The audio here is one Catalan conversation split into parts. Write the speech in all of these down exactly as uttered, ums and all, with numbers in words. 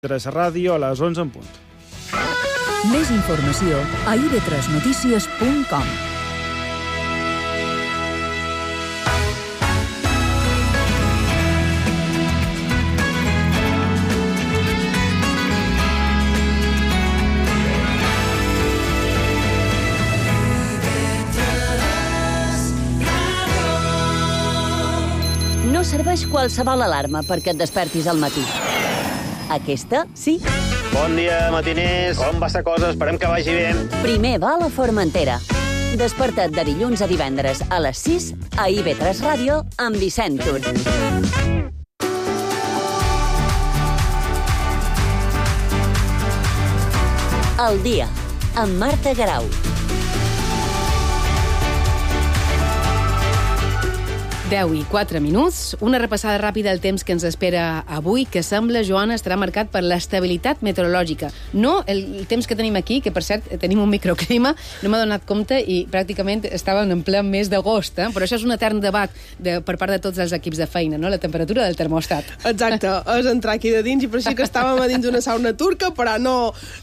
Tres Ràdio a les onze en punt. Més informació a i ve tres notícies punt com. No serveix qualsevol alarma perquè et despertis al matí. Aquesta, sí. Bon dia, matiners. Com va la cosa? Esperem que vagi bé. Primer va a la Formentera. Desperta't de dilluns a divendres a les sis a i ve tres Ràdio amb Vicent Tur. El dia, amb Marta Garau. deu i quatre minuts. Una repassada ràpida del temps que ens espera avui, que sembla, Joana, estarà marcat per l'estabilitat meteorològica. No el temps que tenim aquí, que per cert tenim un microclima, no m'ha donat compte i pràcticament estàvem en ple mes d'agost, eh? Però això és un etern debat de, per part de tots els equips de feina, no? La temperatura del termòstat. Exacte, és entrar aquí de dins i per això que estàvem a dins d'una sauna turca, però no,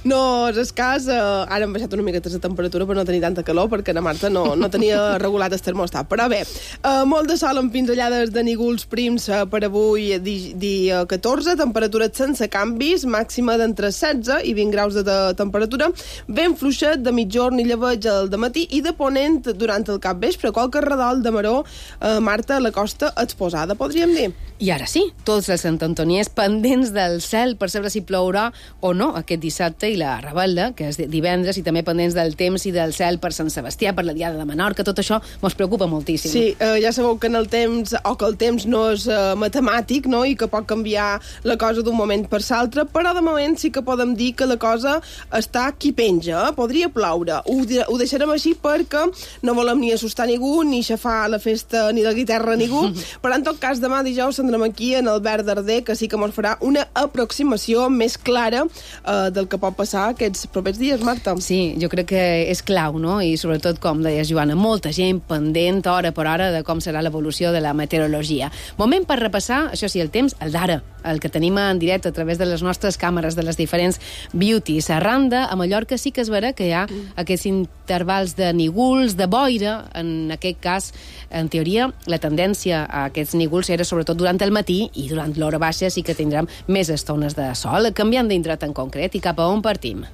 no és escàs. Eh, ara hem baixat una miqueta la temperatura per no tenir tanta calor, perquè la Marta no, no tenia regulat el termòstat. Però bé, eh, molt de sol amb pinzellades de nígols prims per avui, dia catorze, temperatures sense canvis, màxima d'entre setze i vint graus de temperatura, ben fluixet de mitjorn i llebeig al dematí i de ponent durant el capvespre. Qualque redol de maror, eh, Marta, a la costa exposada, podríem dir. I ara sí, tots els santantoniers pendents del cel per saber si plourà o no aquest dissabte i la Rebel·la, que és divendres, i també pendents del temps i del cel per Sant Sebastià, per la Diada de Menorca. Tot això mos preocupa moltíssim. Sí, eh, ja sabeu que en el temps, o que el temps no és uh, matemàtic, no?, i que pot canviar la cosa d'un moment per l'altre, però de moment sí que podem dir que la cosa està qui penja, eh? Podria ploure. Ho, ho deixarem així perquè no volem ni assustar ningú, ni xafar la festa ni la guitarra a ningú, però en tot cas demà dijous tindrem aquí en el Verd Darder, que sí que ens farà una aproximació més clara uh, del que pot passar aquests propers dies, Marta. Sí, jo crec que és clau, no?, i sobretot, com deies, Joana, molta gent pendent hora per hora de com serà l'evolució de la meteorologia. Moment per repassar, això sí, el temps, el d'ara, el que tenim en directe a través de les nostres càmeres de les diferents beauties. A Randa, a Mallorca, sí que es verà que hi ha mm. aquests intervals de nígols, de boira. En aquest cas, en teoria, la tendència a aquests nígols era sobretot durant el matí i durant l'hora baixa sí que tindrem més estones de sol. Canviant d'indret en concret i cap a on partim?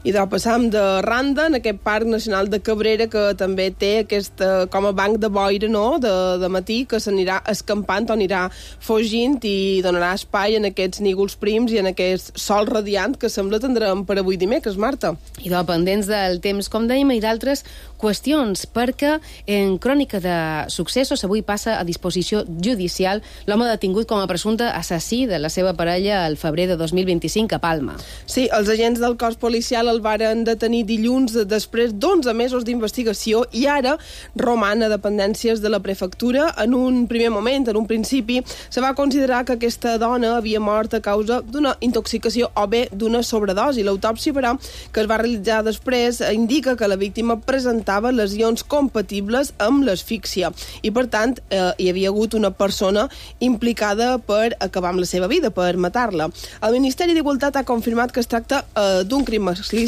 I de passam de Randa, en aquest Parc Nacional de Cabrera, que també té aquest, com a banc de boira, no?, de, de matí, que s'anirà escampant o anirà fugint i donarà espai en aquests nígols prims i en aquest sol radiant que sembla tindrem per avui dimecres, Marta. I de pendents del temps, com dèiem, i d'altres qüestions, perquè en crònica de successos avui passa a disposició judicial l'home detingut com a presumpte assassí de la seva parella al febrer de dos mil vint-i-cinc a Palma. Sí, els agents del cos policial el varen detenir dilluns després d'onze mesos d'investigació i ara roman a dependències de la prefectura. En un primer moment, en un principi, se va considerar que aquesta dona havia mort a causa d'una intoxicació o bé d'una sobredosi. L'autòpsia, però, que es va realitzar després, indica que la víctima presentava lesions compatibles amb l'asfíxia i, per tant, eh, hi havia hagut una persona implicada per acabar amb la seva vida, per matar-la. El Ministeri d'Igualtat ha confirmat que es tracta eh, d'un crim masclista.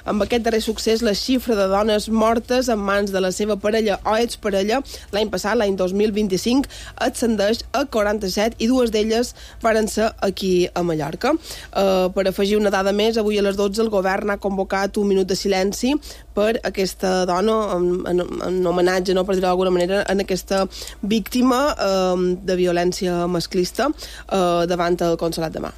Amb aquest darrer succés, la xifra de dones mortes en mans de la seva parella o exparella l'any passat, l'any dos mil vint-i-cinc, ascendeix a quaranta-set i dues d'elles varen ser aquí a Mallorca. Uh, per afegir una dada més, avui a les dotze el govern ha convocat un minut de silenci per aquesta dona, en, en, en homenatge, no, per dir-ho d'alguna manera, en aquesta víctima uh, de violència masclista uh, davant el Consolat de Mar.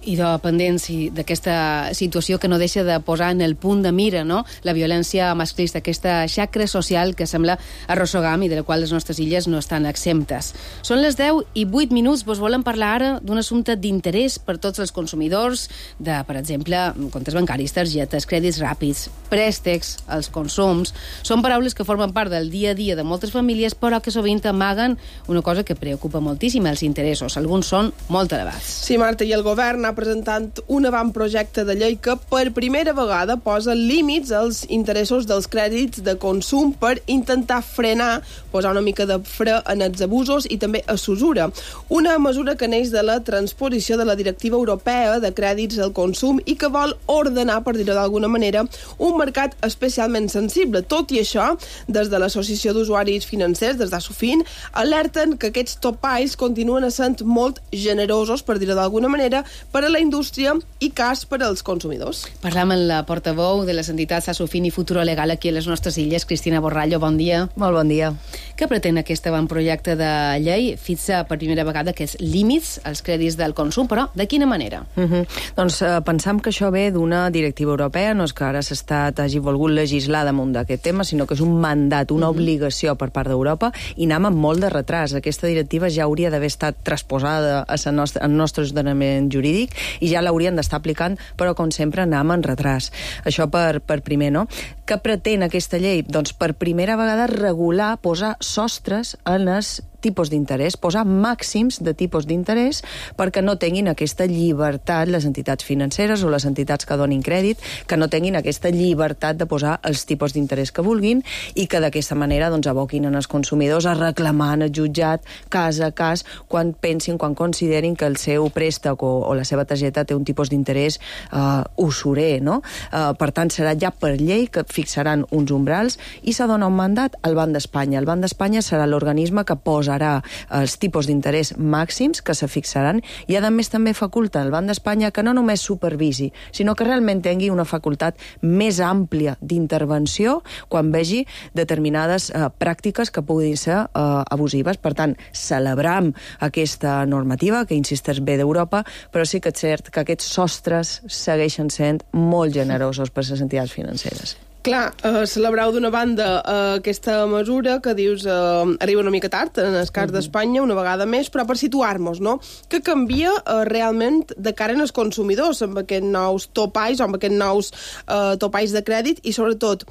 I de pendents d'aquesta situació que no deixa de posar en el punt de mira, no?, la violència masclista, aquesta xacra social que sembla arrossegam i de la qual les nostres illes no estan exemptes. Són les deu i vuit minuts. Vos volem parlar ara d'un assumpte d'interès per tots els consumidors de, per exemple, comptes bancaris, targetes, crèdits ràpids, préstecs, els consums. Són paraules que formen part del dia a dia de moltes famílies, però que sovint amaguen una cosa que preocupa moltíssim, els interessos. Alguns són molt elevats. Sí, Marta, i el govern ha anar presentant un avantprojecte de llei que per primera vegada posa límits als interessos dels crèdits de consum per intentar frenar, posar una mica de fre en els abusos i també a s'usura. Una mesura que neix de la transposició de la Directiva Europea de Crèdits al Consum i que vol ordenar, per dir-ho d'alguna manera, un mercat especialment sensible. Tot i això, des de l'Associació d'Usuaris Financers, des d'Asofin, alerten que aquests topalls continuen essent molt generosos, per dir-ho d'alguna manera, per a la indústria i cas per als consumidors. Parlam amb la portaveu de les entitats Asofin i Futuro Legal aquí a les nostres illes, Cristina Borrallo. Bon dia. Molt bon dia. Què pretén aquest avantprojecte de llei? Fixa per primera vegada aquests límits als crèdits del consum, però de quina manera? Uh -huh. Doncs eh, pensam que això ve d'una directiva europea, no és que ara s'està hagi volgut legislar damunt d'aquest tema, sinó que és un mandat, una uh -huh. obligació per part d'Europa, i anem amb molt de retras. Aquesta directiva ja hauria d'haver estat transposada al nostre, nostre ordenament jurídic i ja l'haurien d'estar aplicant, però com sempre anem en retras. Això per, per primer, no? Què pretén aquesta llei? Doncs per primera vegada regular, posar sostres en els tipus d'interès, posar màxims de tipus d'interès perquè no tinguin aquesta llibertat les entitats financeres o les entitats que donin crèdit, que no tinguin aquesta llibertat de posar els tipus d'interès que vulguin i que d'aquesta manera doncs, aboquin en els consumidors a reclamar en el jutjat cas a cas quan pensin, quan considerin que el seu préstec o, o la seva targeta té un tipus d'interès uh, usurer, no? Uh, per tant, serà ja per llei que fixaran uns umbrals i s'ha donat un mandat al Banc d'Espanya. El Banc d'Espanya serà l'organisme que posa els tipus d'interès màxims que se fixaran i a més també faculta al Banc d'Espanya que no només supervisi, sinó que realment tingui una facultat més àmplia d'intervenció quan vegi determinades eh, pràctiques que puguin ser eh, abusives. Per tant, celebram aquesta normativa que insisteix bé d'Europa, però sí que és cert que aquests sostres segueixen sent molt generosos per les entitats financeres. Clar, eh, celebrau d'una banda eh, aquesta mesura que dius eh, arriba una mica tard, en el cas uh -huh. d'Espanya, una vegada més, però per situar-nos, no? Que canvia eh, realment de cara als consumidors amb aquests nous topalls o amb aquests nous eh, topalls de crèdit i, sobretot,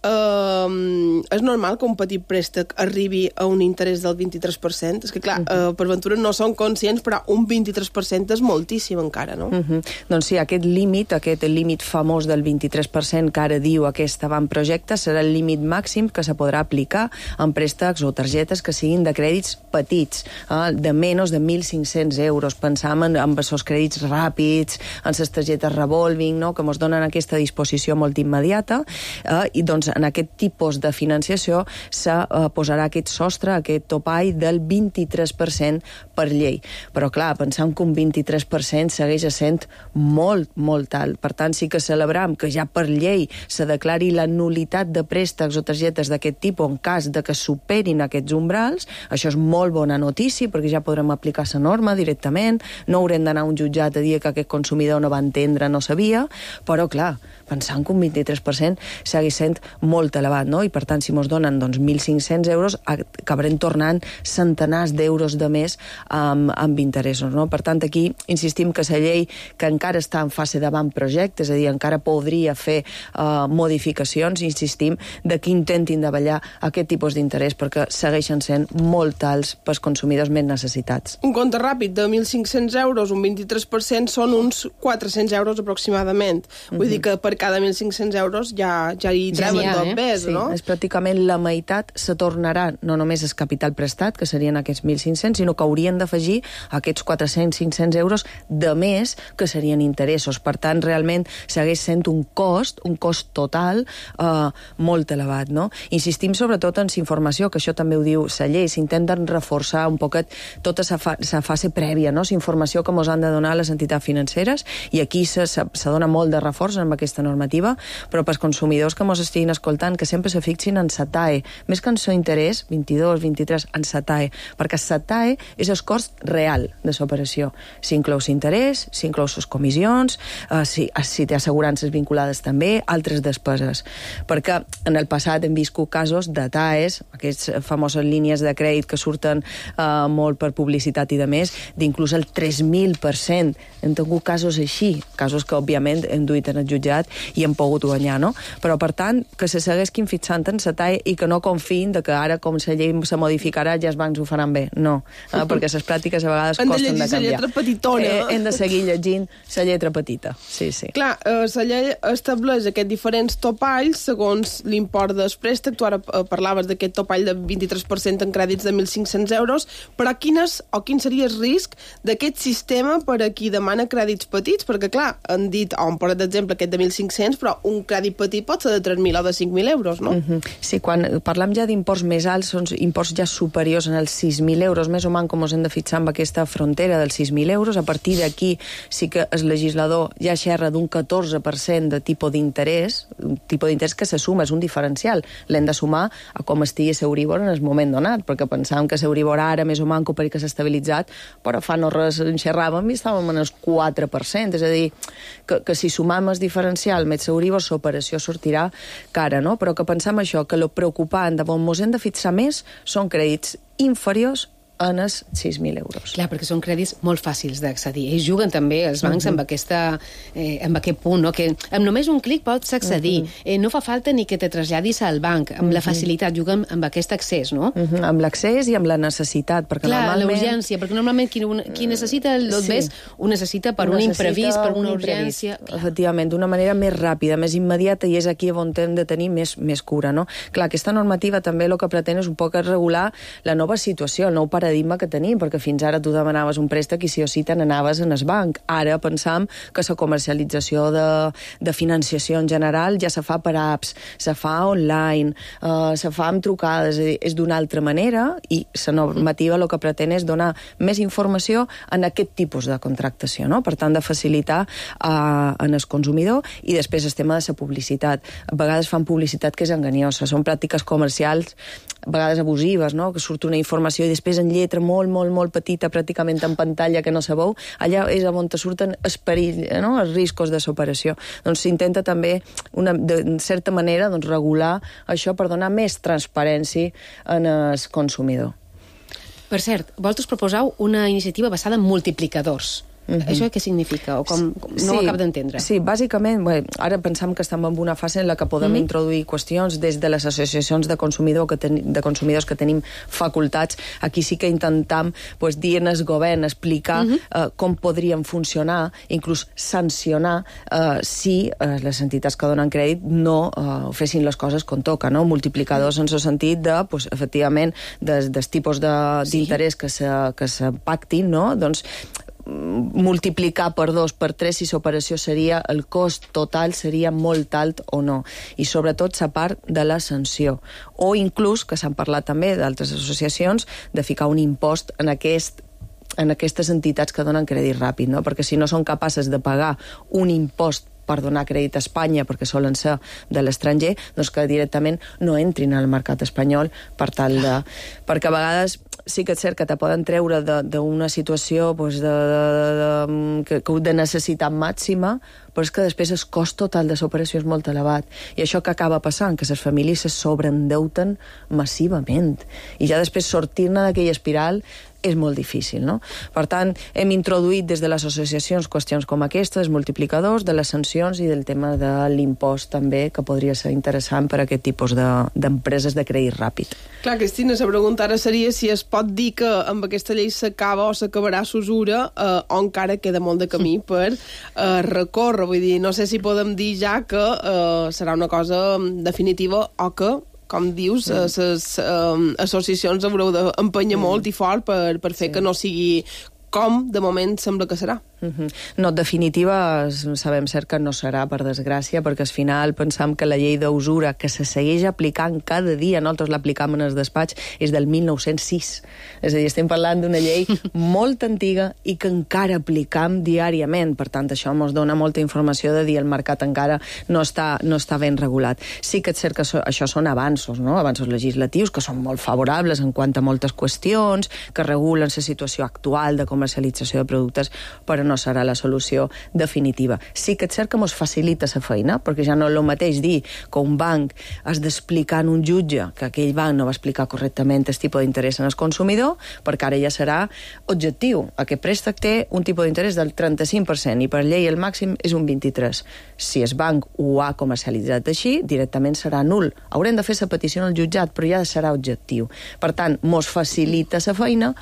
Uh, és normal que un petit préstec arribi a un interès del vint-i-tres per cent? És que, clar, uh, uh, per ventura no són conscients, però un vint-i-tres per cent és moltíssim encara, no? Uh -huh. Doncs sí, aquest límit, aquest límit famós del vint-i-tres per cent que ara diu aquest avantprojecte serà el límit màxim que se podrà aplicar en préstecs o targetes que siguin de crèdits petits, eh, de menys de mil cinc-cents euros. Pensam en, en els crèdits ràpids, en les targetes revolving, no?, que ens donen aquesta disposició molt immediata, eh, i doncs en aquest tipus de financiació se uh, posarà aquest sostre, aquest topall del vint-i-tres per cent per llei. Però clar, pensem que un vint-i-tres per cent segueix sent molt, molt alt. Per tant, sí que celebram que ja per llei se declari la nulitat de préstecs o targetes d'aquest tipus en cas de que superin aquests umbrals. Això és molt bona notícia perquè ja podrem aplicar la norma directament, no haurem d'anar a un jutjat a dir que aquest consumidor no va entendre, no sabia, però clar, pensant que un vint-i-tres per cent segueix sent molt elevat, no? I per tant, si mos donen doncs, mil cinc-cents euros, acabarem tornant centenars d'euros de més amb, amb interessos, no? Per tant, aquí insistim que la llei, que encara està en fase d'avantprojecte, és a dir, encara podria fer uh, modificacions, insistim, de que intentin davallar aquest tipus d'interès, perquè segueixen sent molt alts pels consumidors més necessitats. Un compte ràpid de mil cinc-cents euros, un vint-i-tres per cent, són uns quatre-cents euros aproximadament. Vull uh-huh. dir que per cada mil cinc-cents euros ja, ja hi treuen ja tot eh? bé, sí, no? És pràcticament la meitat se tornarà, no només el capital prestat, que serien aquests mil cinc-cents, sinó que haurien d'afegir aquests quatre-cents cinc-cents euros de més, que serien interessos. Per tant, realment segueix sent un cost, un cost total eh, molt elevat, no? Insistim sobretot en la informació, que això també ho diu la llei, s'intenten reforçar un poquet tota la fa fase prèvia, no? La informació que ens han de donar les entitats financeres, i aquí se, se, se dona molt de reforç amb aquesta normativa, però pels consumidors que ens estiguin escoltant, que sempre se fixin en la T A E, més que en el interès, vint-i-dos, vint-i-tres, en la T A E, perquè la T A E és el cost real de l'operació. S'inclou l'interès, s'inclou les comissions, eh, si, si té assegurances vinculades també, altres despeses. Perquè en el passat hem viscut casos de T A Es, aquestes famoses línies de crèdit que surten eh, molt per publicitat i de més, d'inclús el tres mil per cent. Hem tingut casos així, casos que òbviament hem duit en el jutjat i hem pogut guanyar, no? Però per tant, que se seguessin fixant en la talla i que no confiïn de que ara, com la llei se modificarà, ja els bancs ho faran bé. No, eh? Perquè les pràctiques a vegades costen de canviar. Hem de llegir la lletra petitona. Eh, hem de seguir llegint la lletra petita. Sí, sí. Clar, eh, la llei estableix aquests diferents topalls segons l'import del préstec. Tu ara parlaves d'aquest topall de vint-i-tres per cent en crèdits de mil cinc-cents euros, però quines, o quin seria el risc d'aquest sistema per a qui demana crèdits petits? Perquè, clar, han dit, o han posat d'exemple aquest de mil cinc-cents, però un crèdit petit pot ser de tres mil o de cinc mil euros, no? Uh -huh. Sí, quan parlem ja d'imports més alts, són imports ja superiors en els sis mil euros, més o menys com ens hem de fixar amb aquesta frontera dels sis mil euros. A partir d'aquí sí que el legislador ja xerra d'un catorze per cent de tipus d'interès, un tipus d'interès que se suma, és un diferencial. L'hem de sumar a com estigui l'Euribor en el moment donat, perquè pensàvem que l'Euribor ara més o menys perquè s'ha estabilitzat, però fa no res en xerràvem i estàvem en el quatre per cent, és a dir, que, que si sumam el diferencial més l'Euribor, l'operació sortirà cara, no? Però que pensem això, que el preocupant de on ens hem de fixar més són crèdits inferiors en els sis mil euros. Clar, perquè són crèdits molt fàcils d'accedir. Ells juguen també, els bancs, uh -huh. amb, aquesta, eh, amb aquest punt, no? Que amb només un clic pots accedir. Uh -huh. eh, no fa falta ni que te traslladis al banc. Amb uh -huh. la facilitat, juguen amb aquest accés, no? Uh -huh. Amb l'accés i amb la necessitat. Perquè clar, normalment... la urgència, perquè normalment qui, qui necessita el sí. bé ho necessita per ho un necessita imprevist, per una un urgència. Efectivament, d'una manera més ràpida, més immediata, i és aquí on hem de tenir més, més cura, no? Clar, aquesta normativa també el que pretén és un poc regular la nova situació, el nou paradigma que tenim, perquè fins ara tu demanaves un préstec i si o sí te n'anaves en el banc. Ara pensam que la comercialització de, de financiació en general ja se fa per apps, se fa online, eh, se fa amb trucades, és, és d'una altra manera, i la normativa el que pretén és donar més informació en aquest tipus de contractació, no? Per tant, de facilitar eh, en el consumidor. I després el tema de la publicitat. A vegades fan publicitat que és enganyosa, són pràctiques comercials a vegades abusives, no? Que surt una informació i després en lletra molt, molt, molt petita, pràcticament en pantalla, que no se veu, allà és on te surten els perills, no? Els riscos de l'operació. Doncs s'intenta també, una, de certa manera, doncs, regular això per donar més transparència en el consumidor. Per cert, vosaltres proposeu una iniciativa basada en multiplicadors. Uh -huh. Això què significa? O com, no sí, ho acabo d'entendre. Sí, bàsicament, bé, ara pensam que estem en una fase en la que podem uh -huh. introduir qüestions des de les associacions de, consumidor que ten, de consumidors que tenim facultats. Aquí sí que intentam pues, dir al govern, explicar uh -huh. uh, com podrien funcionar, inclús sancionar uh, si uh, les entitats que donen crèdit no uh, fessin les coses com toca, no? Multiplicadors en el sentit de, pues, efectivament, des, des tipus d'interès sí. que se, que se pactin, no? Doncs multiplicar per dos, per tres, si l'operació seria, el cost total seria molt alt o no. I sobretot la part de la sanció. O inclús, que s'han parlat també d'altres associacions, de ficar un impost en aquest en aquestes entitats que donen crèdit ràpid, no? Perquè si no són capaces de pagar un impost per donar crèdit a Espanya, perquè solen ser de l'estranger, doncs que directament no entrin al mercat espanyol per tal de... Perquè a vegades sí que és cert que te poden treure d'una situació pues, de, de, de, de, de necessitat màxima, però és que després el cost total de l'operació és molt elevat. I això que acaba passant, que les famílies se sobreendeuten massivament. I ja després sortir-ne d'aquella espiral és molt difícil, no? Per tant, hem introduït des de les associacions qüestions com aquestes, multiplicadors, de les sancions i del tema de l'impost també, que podria ser interessant per a aquest tipus d'empreses de, de crèdit ràpid. Clar, Cristina, la pregunta ara seria si es pot dir que amb aquesta llei s'acaba o s'acabarà s'usura eh, o encara queda molt de camí per eh, recórrer. Vull dir, no sé si podem dir ja que eh, serà una cosa definitiva o que com dius, mm. les um, associacions haureu d'empenyar mm. molt i fort per, per fer sí. que no sigui com, de moment, sembla que serà. Uh-huh. No, en definitiva, sabem cert que no serà, per desgràcia, perquè al final pensam que la llei d'usura, que se segueix aplicant cada dia, nosaltres l'aplicam en el despatx, és del mil nou-cents sis. És a dir, estem parlant d'una llei molt antiga i que encara aplicam diàriament. Per tant, això ens dona molta informació de dir el mercat encara no està, no està ben regulat. Sí que és cert que això, això són avanços, no? Avanços legislatius, que són molt favorables en quant a moltes qüestions, que regulen la situació actual de comercialització de productes, però no no serà la solució definitiva. Sí que és cert que ens facilita la feina, perquè ja no és el mateix dir que un banc has d'explicar en un jutge que aquell banc no va explicar correctament el tipus d'interès en el consumidor, perquè ara ja serà objectiu. Aquest préstec té un tipus d'interès del trenta-cinc per cent i per llei el màxim és un vint-i-tres per cent. Si el banc ho ha comercialitzat així, directament serà nul. Haurem de fer la petició al jutjat, però ja serà objectiu. Per tant, mos facilita la feina,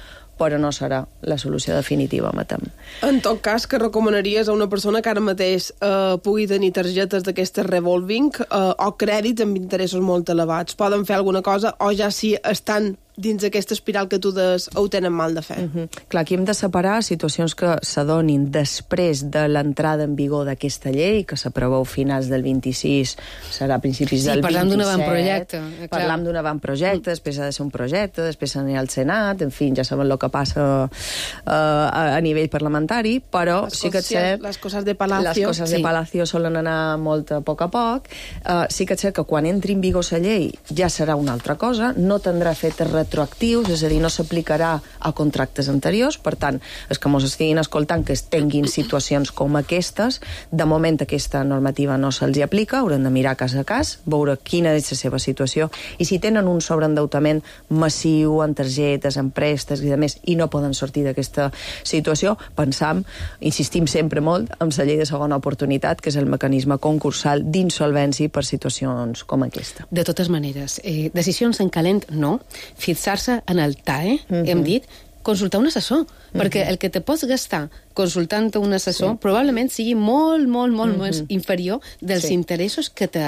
però no serà la solució definitiva, matem. En tot cas, que recomanaries a una persona que ara mateix eh, pugui tenir targetes d'aquestes revolving eh, o crèdits amb interessos molt elevats? Poden fer alguna cosa o ja si estan dins d'aquesta espiral que tu des ho tenen mal de fer? Uh -huh. Clar, aquí hem de separar situacions que s'adonin després de l'entrada en vigor d'aquesta llei, que s'aprova a finals del vint-i-sis, serà a principis sí, del vint-i-set. Sí, parlant d'un avantprojecte. Parlam d'un avantprojecte, després ha de ser un projecte, després anirà al Senat, en fi, ja saben el que passa uh, a, a nivell parlamentari, però les sí que és cert... Les coses de Palacio. Les coses sí. de Palacio solen anar molt a poc a poc. Uh, sí que és cert que quan entri en vigor la llei ja serà una altra cosa, no tindrà efectes retroactius, és a dir, no s'aplicarà a contractes anteriors, per tant, els que mos estiguin escoltant que tinguin situacions com aquestes, de moment aquesta normativa no se'ls hi aplica, hauran de mirar cas a cas, veure quina és la seva situació, i si tenen un sobreendeutament massiu en targetes, en préstecs i de més, i no poden sortir d'aquesta situació, pensam, insistim sempre molt, en la llei de segona oportunitat, que és el mecanisme concursal d'insolvència per situacions com aquesta. De totes maneres, eh, decisions en calent no, fixar-se en el T A E, uh-huh. hem dit, consultar un assessor, uh-huh. perquè el que te pots gastar consultant un assessor sí. probablement sigui molt, molt, molt uh-huh. més inferior dels sí. interessos que te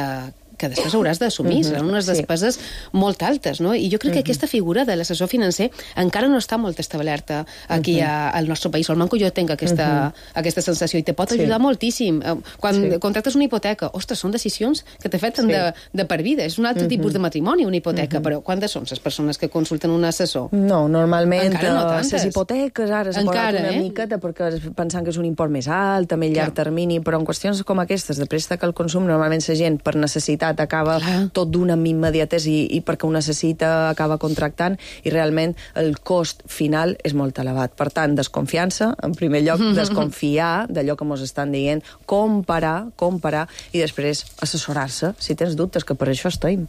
que després hauràs d'assumir, uh-huh. seran unes despeses sí. molt altes, no? I jo crec que uh-huh. aquesta figura de l'assessor financer encara no està molt establerta aquí uh-huh. a, al nostre país. Al Manco jo tinc aquesta, uh-huh. aquesta sensació i te pot ajudar sí. moltíssim. Quan sí. contractes una hipoteca, ostres, són decisions que t'afecten sí. de, de per vida. És un altre uh-huh. tipus de matrimoni, una hipoteca, uh-huh. però quantes són les persones que consulten un assessor? No, normalment no les hipoteques ara s'ha pagat una eh? miqueta perquè pensant que és un import més alt, també a llarg termini, però en qüestions com aquestes de préstec al consum, normalment la gent per necessitat acaba Clar. tot d'una amb immediatesa i, i perquè ho necessita acaba contractant i realment el cost final és molt elevat. Per tant, desconfiança, en primer lloc, desconfiar d'allò que ens estan dient, comparar, comparar i després assessorar-se si tens dubtes, que per això estem.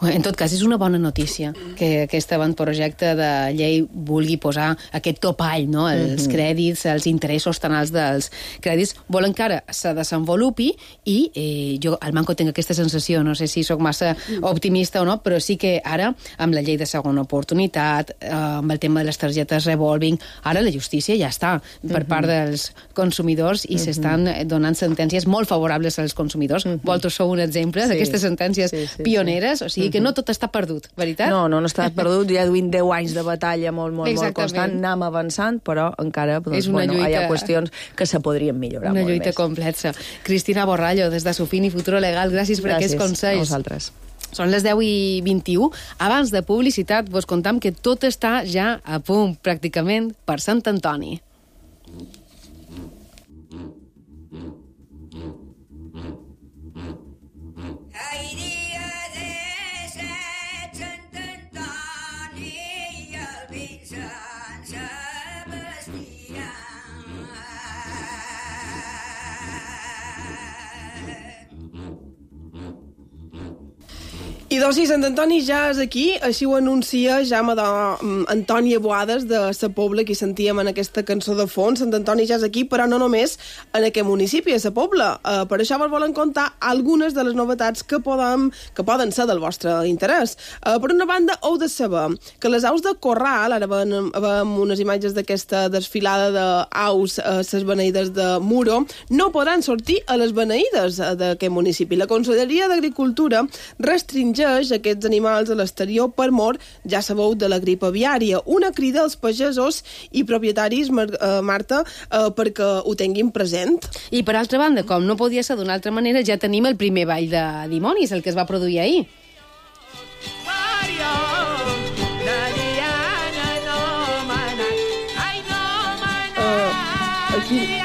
En tot cas, és una bona notícia que aquest avantprojecte de llei vulgui posar aquest topall, no? Els mm-hmm. crèdits, els interessos tan alts dels crèdits, volen que ara se desenvolupi i eh, jo al Manco tinc aquesta sensació, no sé si sóc massa optimista o no, però sí que ara, amb la llei de segona oportunitat, eh, amb el tema de les targetes revolving, ara la justícia ja està per mm-hmm. part dels consumidors i mm-hmm. s'estan donant sentències molt favorables als consumidors. Mm-hmm. Vosaltres sou un exemple sí. d'aquestes sentències sí, sí, pioneres, sí. o sigui que no tot està perdut, veritat? No, no, no està perdut, ja duim deu anys de batalla molt, molt, molt constant, anem avançant, però encara doncs, bueno, lluita... hi ha qüestions que se podrien millorar una molt lluita més. complexa. Cristina Borrallo, des de Sufini Futuro Legal, gràcies per gràcies aquests consells. A vosaltres. Són les deu i vint-i-u. Abans de publicitat, vos contam que tot està ja a punt, pràcticament, per Sant Antoni. I doncs sí, Sant Antoni ja és aquí, així ho anuncia Jaume d'Antònia Boades de Sa Pobla, que sentíem en aquesta cançó de fons. Sant Antoni ja és aquí, però no només en aquest municipi, a Sa Pobla. Uh, per això vos volen contar algunes de les novetats que poden, que poden ser del vostre interès. Uh, per una banda, heu de saber que les aus de Corral, ara veiem, veiem unes imatges d'aquesta desfilada d'aus a les beneïdes de Muro, no podran sortir a les beneïdes d'aquest municipi. La Conselleria d'Agricultura restringeix aquests animals a l'exterior per mor, ja sabeu, de la grip aviària. Una crida als pagesos i propietaris, Marta, perquè ho tinguin present. I per altra banda, com no podia ser d'una altra manera, ja tenim el primer ball de dimonis, el que es va produir ahir. Uh, aquí...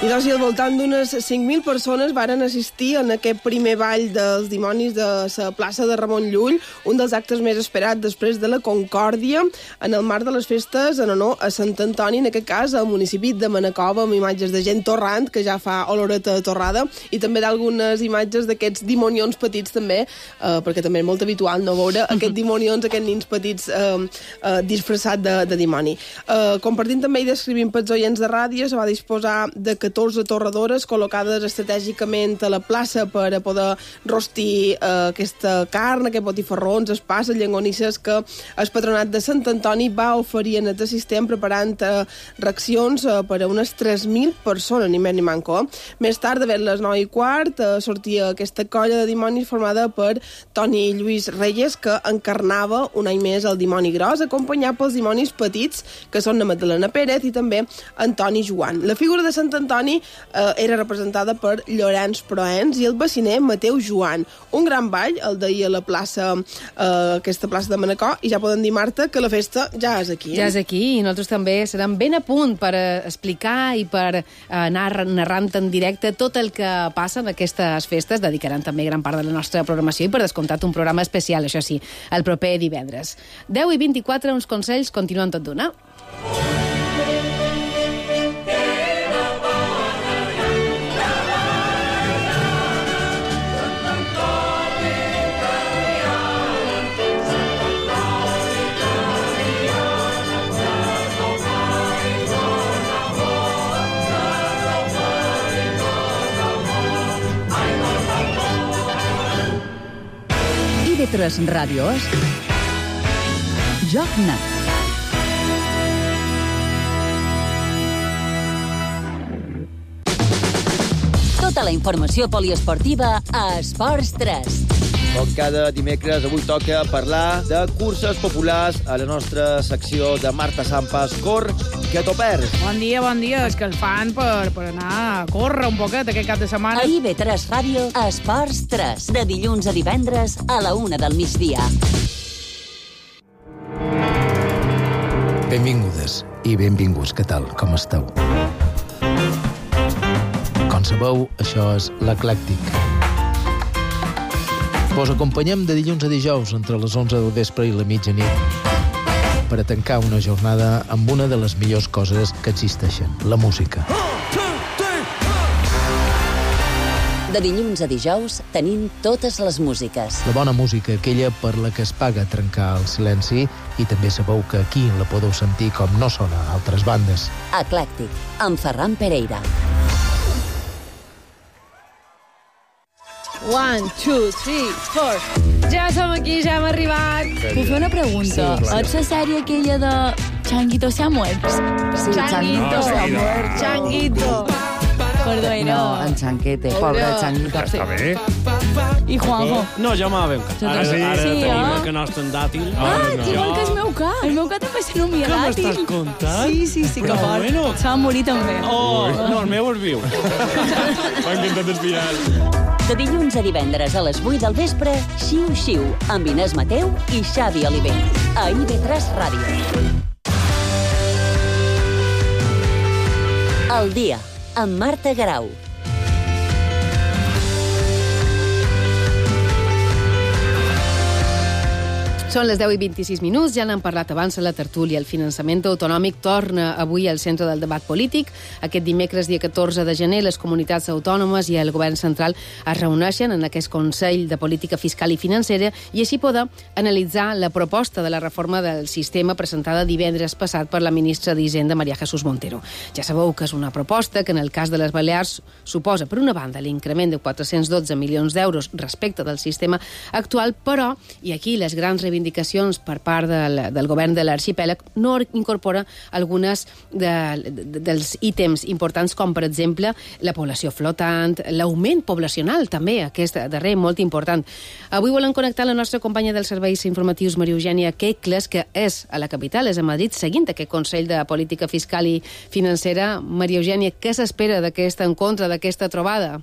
I doncs, al voltant d'unes cinc mil persones varen assistir en aquest primer ball dels dimonis de la plaça de Ramon Llull, un dels actes més esperats després de la Concòrdia, en el marc de les festes en honor a Sant Antoni, en aquest cas al municipi de Manacova, amb imatges de gent torrant, que ja fa oloreta torrada, i també d'algunes imatges d'aquests dimonions petits també, eh, perquè també és molt habitual no veure aquests dimonions, aquests nins petits eh, eh, disfressats de, de dimoni. Eh, compartint també i descrivint pels oients de ràdio, se va disposar de catorze torradores col·locades estratègicament a la plaça per a poder rostir eh, aquesta carn, aquests botifarrons, espasses, llengonisses que el patronat de Sant Antoni va oferir en aquest assistent preparant eh, reaccions eh, per a unes tres mil persones, ni més ni manco. Més tard, de les nou i quart, eh, sortia aquesta colla de dimonis formada per Toni Lluís Reyes, que encarnava un any més el dimoni gros, acompanyat pels dimonis petits, que són la Magdalena Pérez i també Antoni Joan. La figura de Sant Antoni eh, era representada per Llorenç Proens i el baciner Mateu Joan. Un gran ball, el d'ahir a la plaça, eh, aquesta plaça de Manacor, i ja podem dir, Marta, que la festa ja és aquí. Eh? Ja és aquí, i nosaltres també serem ben a punt per eh, explicar i per eh, anar narrant en directe tot el que passa en aquestes festes. Dedicaran també gran part de la nostra programació i, per descomptat, un programa especial, això sí, el proper divendres. deu i vint-i-quatre, uns consells, continuen tot d'una. I ve tres Ràdios, Joc Net. Tota la informació poliesportiva a Esports tres. Com cada dimecres, avui toca parlar de curses populars a la nostra secció de Marta Sampas. Cor, que t'ho perds. Bon dia, bon dia. És que el fan per, per anar a córrer un poquet aquest cap de setmana. A I ve tres Ràdio, Esports tres. De dilluns a divendres a la una del migdia. Benvingudes i benvinguts. Què tal? Com esteu? Com sabeu, això és l'Eclèctic. Vos acompanyem de dilluns a dijous entre les onze del vespre i la mitjanit per a tancar una jornada amb una de les millors coses que existeixen, la música. De dilluns a dijous tenim totes les músiques. La bona música, aquella per la que es paga trencar el silenci, i també sabeu que aquí la podeu sentir com no sona a altres bandes. Eclèctic, amb Ferran Pereira. One, two, three, four. Ja som aquí, ja hem arribat. Puc fer una pregunta? Sí, Ets la sèrie aquella de Changuito se ha muerto? Sí, Changuito se ha muerto. Changuito. Perdó, No, en Chanquete, pobre Changuito. Està bé. I Juanjo? No, jo me la veu cas. Ara, Sí, ara sí, tenim eh? el que nostre en dàtil. Ah, no. igual que el meu cas. El meu cas també se nomia Què dàtil. m'estàs contant? Sí, sí, sí, que Però fort. bueno. Se va morir també. Oh, no, el meu és viu. M'ha encantat el final. De dilluns a divendres a les vuit del vespre, Xiu Xiu, amb Inés Mateu i Xavi Oliver. A I ve tres Ràdio. El dia, amb Marta Garau. Són les deu i vint-i-sis minuts, ja n'han parlat abans a la tertúlia. El finançament autonòmic torna avui al centre del debat polític. Aquest dimecres, dia catorze de gener, les comunitats autònomes i el govern central es reuneixen en aquest Consell de Política Fiscal i Financera i així poder analitzar la proposta de la reforma del sistema presentada divendres passat per la ministra d'Hisenda, María Jesús Montero. Ja sabeu que és una proposta que en el cas de les Balears suposa, per una banda, l'increment de quatre-cents dotze milions d'euros respecte del sistema actual, però, i aquí les grans reivindicacions reivindicacions per part del, del govern de l'arxipèlag no incorpora algunes de, de, dels ítems importants com, per exemple, la població flotant, l'augment poblacional, també, aquest darrer, molt important. Avui volem connectar la nostra companya dels serveis informatius, Maria Eugènia Quecles, que és a la capital, és a Madrid, seguint aquest Consell de Política Fiscal i Financera. Maria Eugènia, què s'espera d'aquest encontre, d'aquesta trobada?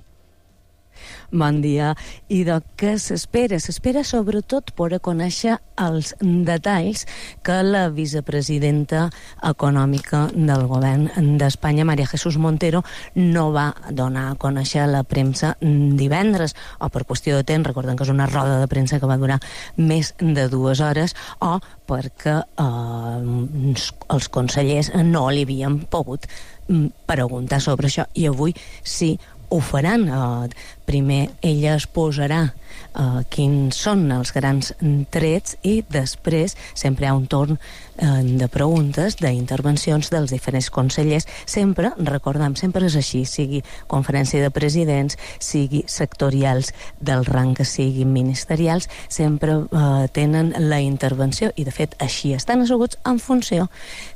Bon dia. I de què s'espera? S'espera sobretot per conèixer els detalls que la vicepresidenta econòmica del govern d'Espanya, María Jesús Montero, no va donar a conèixer a la premsa divendres, o per qüestió de temps, recordem que és una roda de premsa que va durar més de dues hores, o perquè eh, els consellers no li havien pogut preguntar sobre això, i avui sí ho faran. Uh, primer ella es posarà uh, quins són els grans trets i després sempre hi ha un torn uh, de preguntes, d'intervencions dels diferents consellers. Sempre, recordem, sempre és així, sigui conferència de presidents, sigui sectorials del rang que siguin ministerials, sempre uh, tenen la intervenció, i de fet així estan asseguts en funció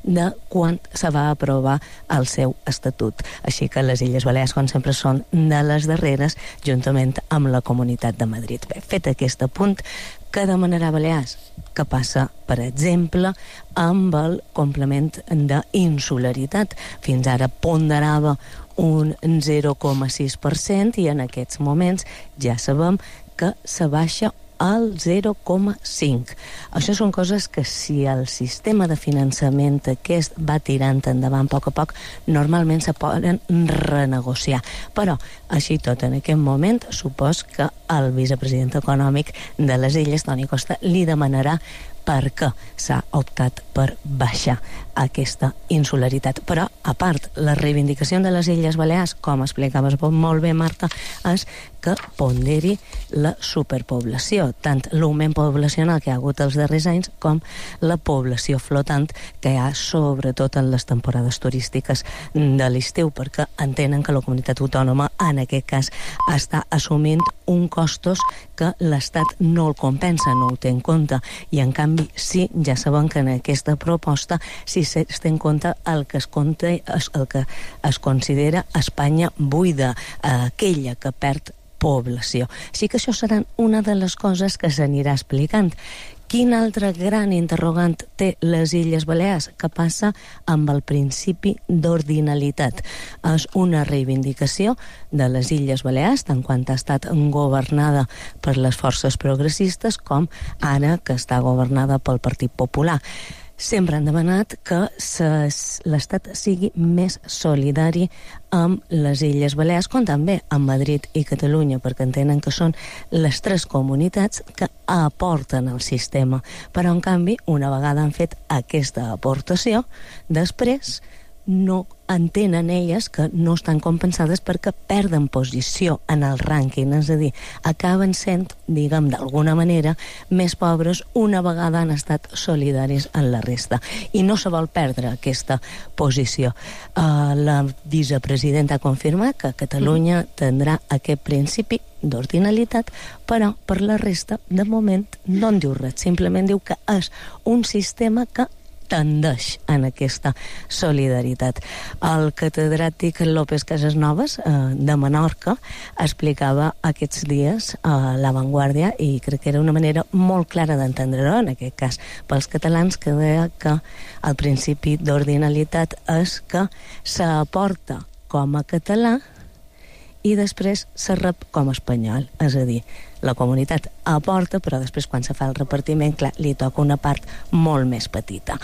de quan se va aprovar el seu estatut. Així que les Illes Balears, com sempre, són de les darreres, juntament amb la Comunitat de Madrid. Bé, fet aquest apunt, què demanarà Balears? Que passa, per exemple, amb el complement d'insularitat. Fins ara ponderava un zero coma sis per cent i en aquests moments ja sabem que se baixa al zero coma cinc. Això són coses que si el sistema de finançament aquest va tirant endavant a poc a poc, normalment se poden renegociar. Però, així tot, en aquest moment, supos que el vicepresident econòmic de les Illes, Toni Costa, li demanarà per què s'ha optat per baixar aquesta insularitat. Però, a part, la reivindicació de les Illes Balears, com explicaves molt bé, Marta, és que ponderi la superpoblació, tant l'augment poblacional que hi ha hagut els darrers anys com la població flotant que hi ha sobretot en les temporades turístiques de l'estiu, perquè entenen que la comunitat autònoma en aquest cas està assumint un costos que l'Estat no el compensa, no ho té en compte, i en canvi sí, ja sabem que en aquesta proposta sí es té en compte el que es, compta, el que es considera Espanya buida, aquella que perd població. Així que això seran una de les coses que s'anirà explicant. Quin altre gran interrogant té les Illes Balears? Què passa amb el principi d'ordinalitat? És una reivindicació de les Illes Balears, tant quan ha estat governada per les forces progressistes com ara que està governada pel Partit Popular. Sempre han demanat que l'Estat sigui més solidari amb les Illes Balears, com també amb Madrid i Catalunya, perquè entenen que són les tres comunitats que aporten al sistema. Però, en canvi, una vegada han fet aquesta aportació, després no entenen elles que no estan compensades perquè perden posició en el rànquing, és a dir, acaben sent, diguem, d'alguna manera, més pobres una vegada han estat solidaris en la resta. I no se vol perdre aquesta posició. Uh, la vicepresidenta ha confirmat que Catalunya tindrà aquest principi d'ordinalitat, però per la resta, de moment, no en diu res. Simplement diu que és un sistema que tendeix en aquesta solidaritat. El catedràtic López Casasnovas, eh, de Menorca, explicava aquests dies a La Vanguardia, i crec que era una manera molt clara d'entendre-ho, en aquest cas pels catalans, que deia que el principi d'ordinalitat és que s'aporta com a català i després se rep com a espanyol. És a dir, la comunitat aporta, però després quan se fa el repartiment, clar, li toca una part molt més petita.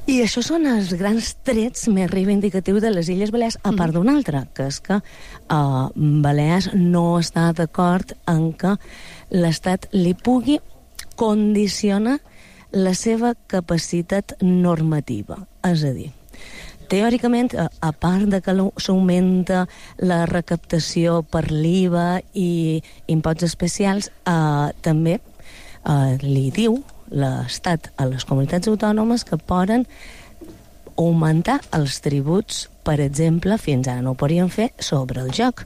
I això són els grans trets més reivindicatius de les Illes Balears, a part d'un altre, que és que uh, Balears no està d'acord en que l'Estat li pugui condicionar la seva capacitat normativa. És a dir, teòricament, a part de que s'augmenta la recaptació per l'I V A i imposts especials, eh, també eh, li diu l'Estat a les comunitats autònomes que poden augmentar els tributs, per exemple, fins ara no ho podien fer, sobre el joc,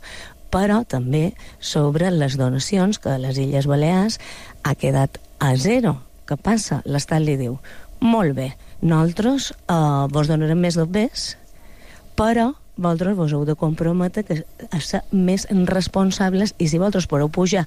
però també sobre les donacions, que a les Illes Balears ha quedat a zero. Què passa? L'Estat li diu, molt bé, nosaltres eh, vos donarem més dobbers, però vosaltres vos heu de comprometre que a ser més responsables, i si vosaltres podeu pujar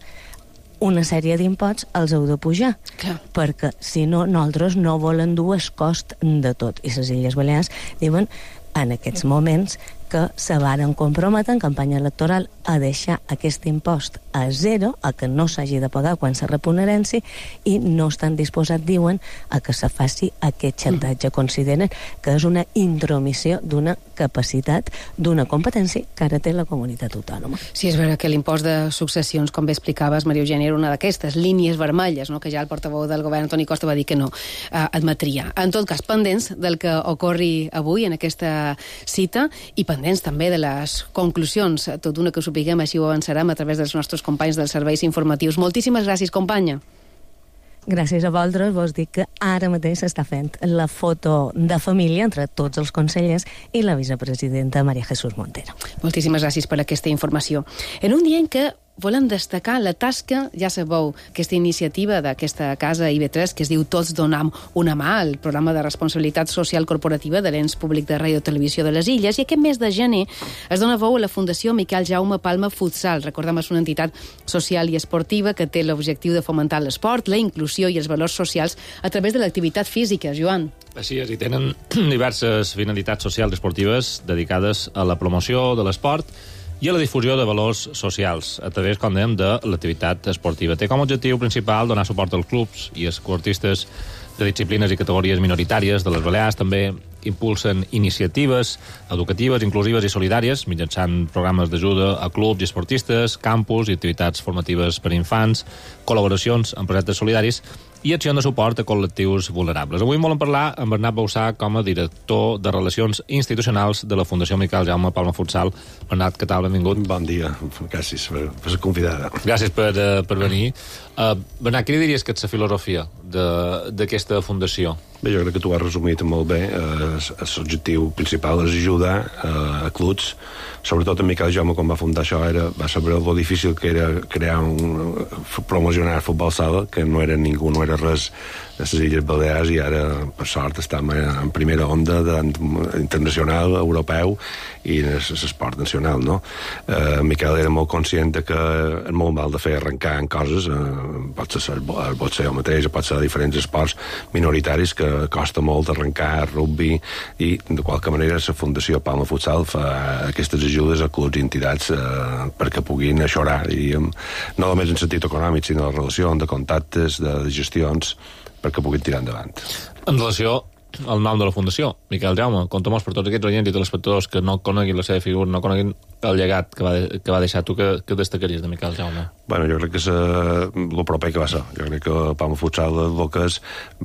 una sèrie d'imposts, els heu de pujar. Clar. Perquè si no, nosaltres no volem dur el cost de tot. I les Illes Balears diuen en aquests moments que se varen comprometre en campanya electoral a deixar aquest impost a zero, a que no s'hagi de pagar quan se repunerenci, i no estan disposats, diuen, a que se faci aquest xantatge. Consideren que és una intromissió d'una capacitat, d'una competència que ara té la comunitat autònoma. Sí, és vera que l'impost de successions, com bé explicaves, Maria Eugènia, era una d'aquestes línies vermelles, no?, que ja el portaveu del govern, Toni Costa, va dir que no eh, admetria. En tot cas, pendents del que ocorri avui en aquesta cita i pendents també de les conclusions. Tot una que ho sapiguem, així ho avançarem a través dels nostres companys dels serveis informatius. Moltíssimes gràcies, companya. Gràcies a vosaltres, vos dic que ara mateix s'està fent la foto de família entre tots els consellers i la vicepresidenta María Jesús Montero. Moltíssimes gràcies per aquesta informació. En un dia en què volem destacar la tasca, ja sabeu, aquesta iniciativa d'aquesta casa I V tres que es diu Tots donam una mà, el programa de responsabilitat social corporativa de l'Ens Públic de Ràdio i Televisió de les Illes, i aquest mes de gener es dona veu a la Fundació Miquel Jaume Palma Futsal. Recordem, és una entitat social i esportiva que té l'objectiu de fomentar l'esport, la inclusió i els valors socials a través de l'activitat física. Joan. Així és, i tenen diverses finalitats socials i esportives dedicades a la promoció de l'esport i a la difusió de valors socials a través, com dèiem, de l'activitat esportiva. Té com a objectiu principal donar suport als clubs i esportistes de disciplines i categories minoritàries de les Balears. També impulsen iniciatives educatives, inclusives i solidàries mitjançant programes d'ajuda a clubs i esportistes, campus i activitats formatives per a infants, col·laboracions amb projectes solidaris i acció de suport a col·lectius vulnerables. Avui volen parlar amb Bernat Bausà com a director de Relacions Institucionals de la Fundació Miquel Jaume Palma Futsal. Bernat, què tal? Benvingut. Bon dia. Gràcies per, per ser convidada. Gràcies per, uh, per venir. Uh, Bernat, què diries que és la filosofia d'aquesta fundació? Bé, jo crec que tu ho has resumit molt bé. L'objectiu principal és ajudar uh, a clubs. Sobretot en Miquel Jaume, quan va fundar això, era, va saber el difícil que era crear un, promocionar futbol sala, que no era ningú, no era res de les Illes Balears, i ara, per sort, estem en primera onda de, internacional, europeu i en l'esport nacional, no? Eh, Miquel era molt conscient que és molt mal de fer arrencar en coses, eh, pot ser el boxeo mateix, pot ser diferents esports minoritaris que costa molt arrencar, rugby, i de qualque manera la Fundació Palma Futsal fa aquestes ajudes a clubs i entitats eh, perquè puguin aixorar, diríem, no només en sentit econòmic, sinó de relació, de contactes, de, de gestions, perquè puguin tirar endavant. En relació al nom de la Fundació, Miquel Jaume, contem-nos per tots aquests oients i telespectadors que no coneguin la seva figura, no coneguin el llegat que va, de, que va deixar tu, que, que destacaries de Miquel Jaume? Bueno, jo crec que és el proper que va ser. Jo crec que Palma Futsal és el que és,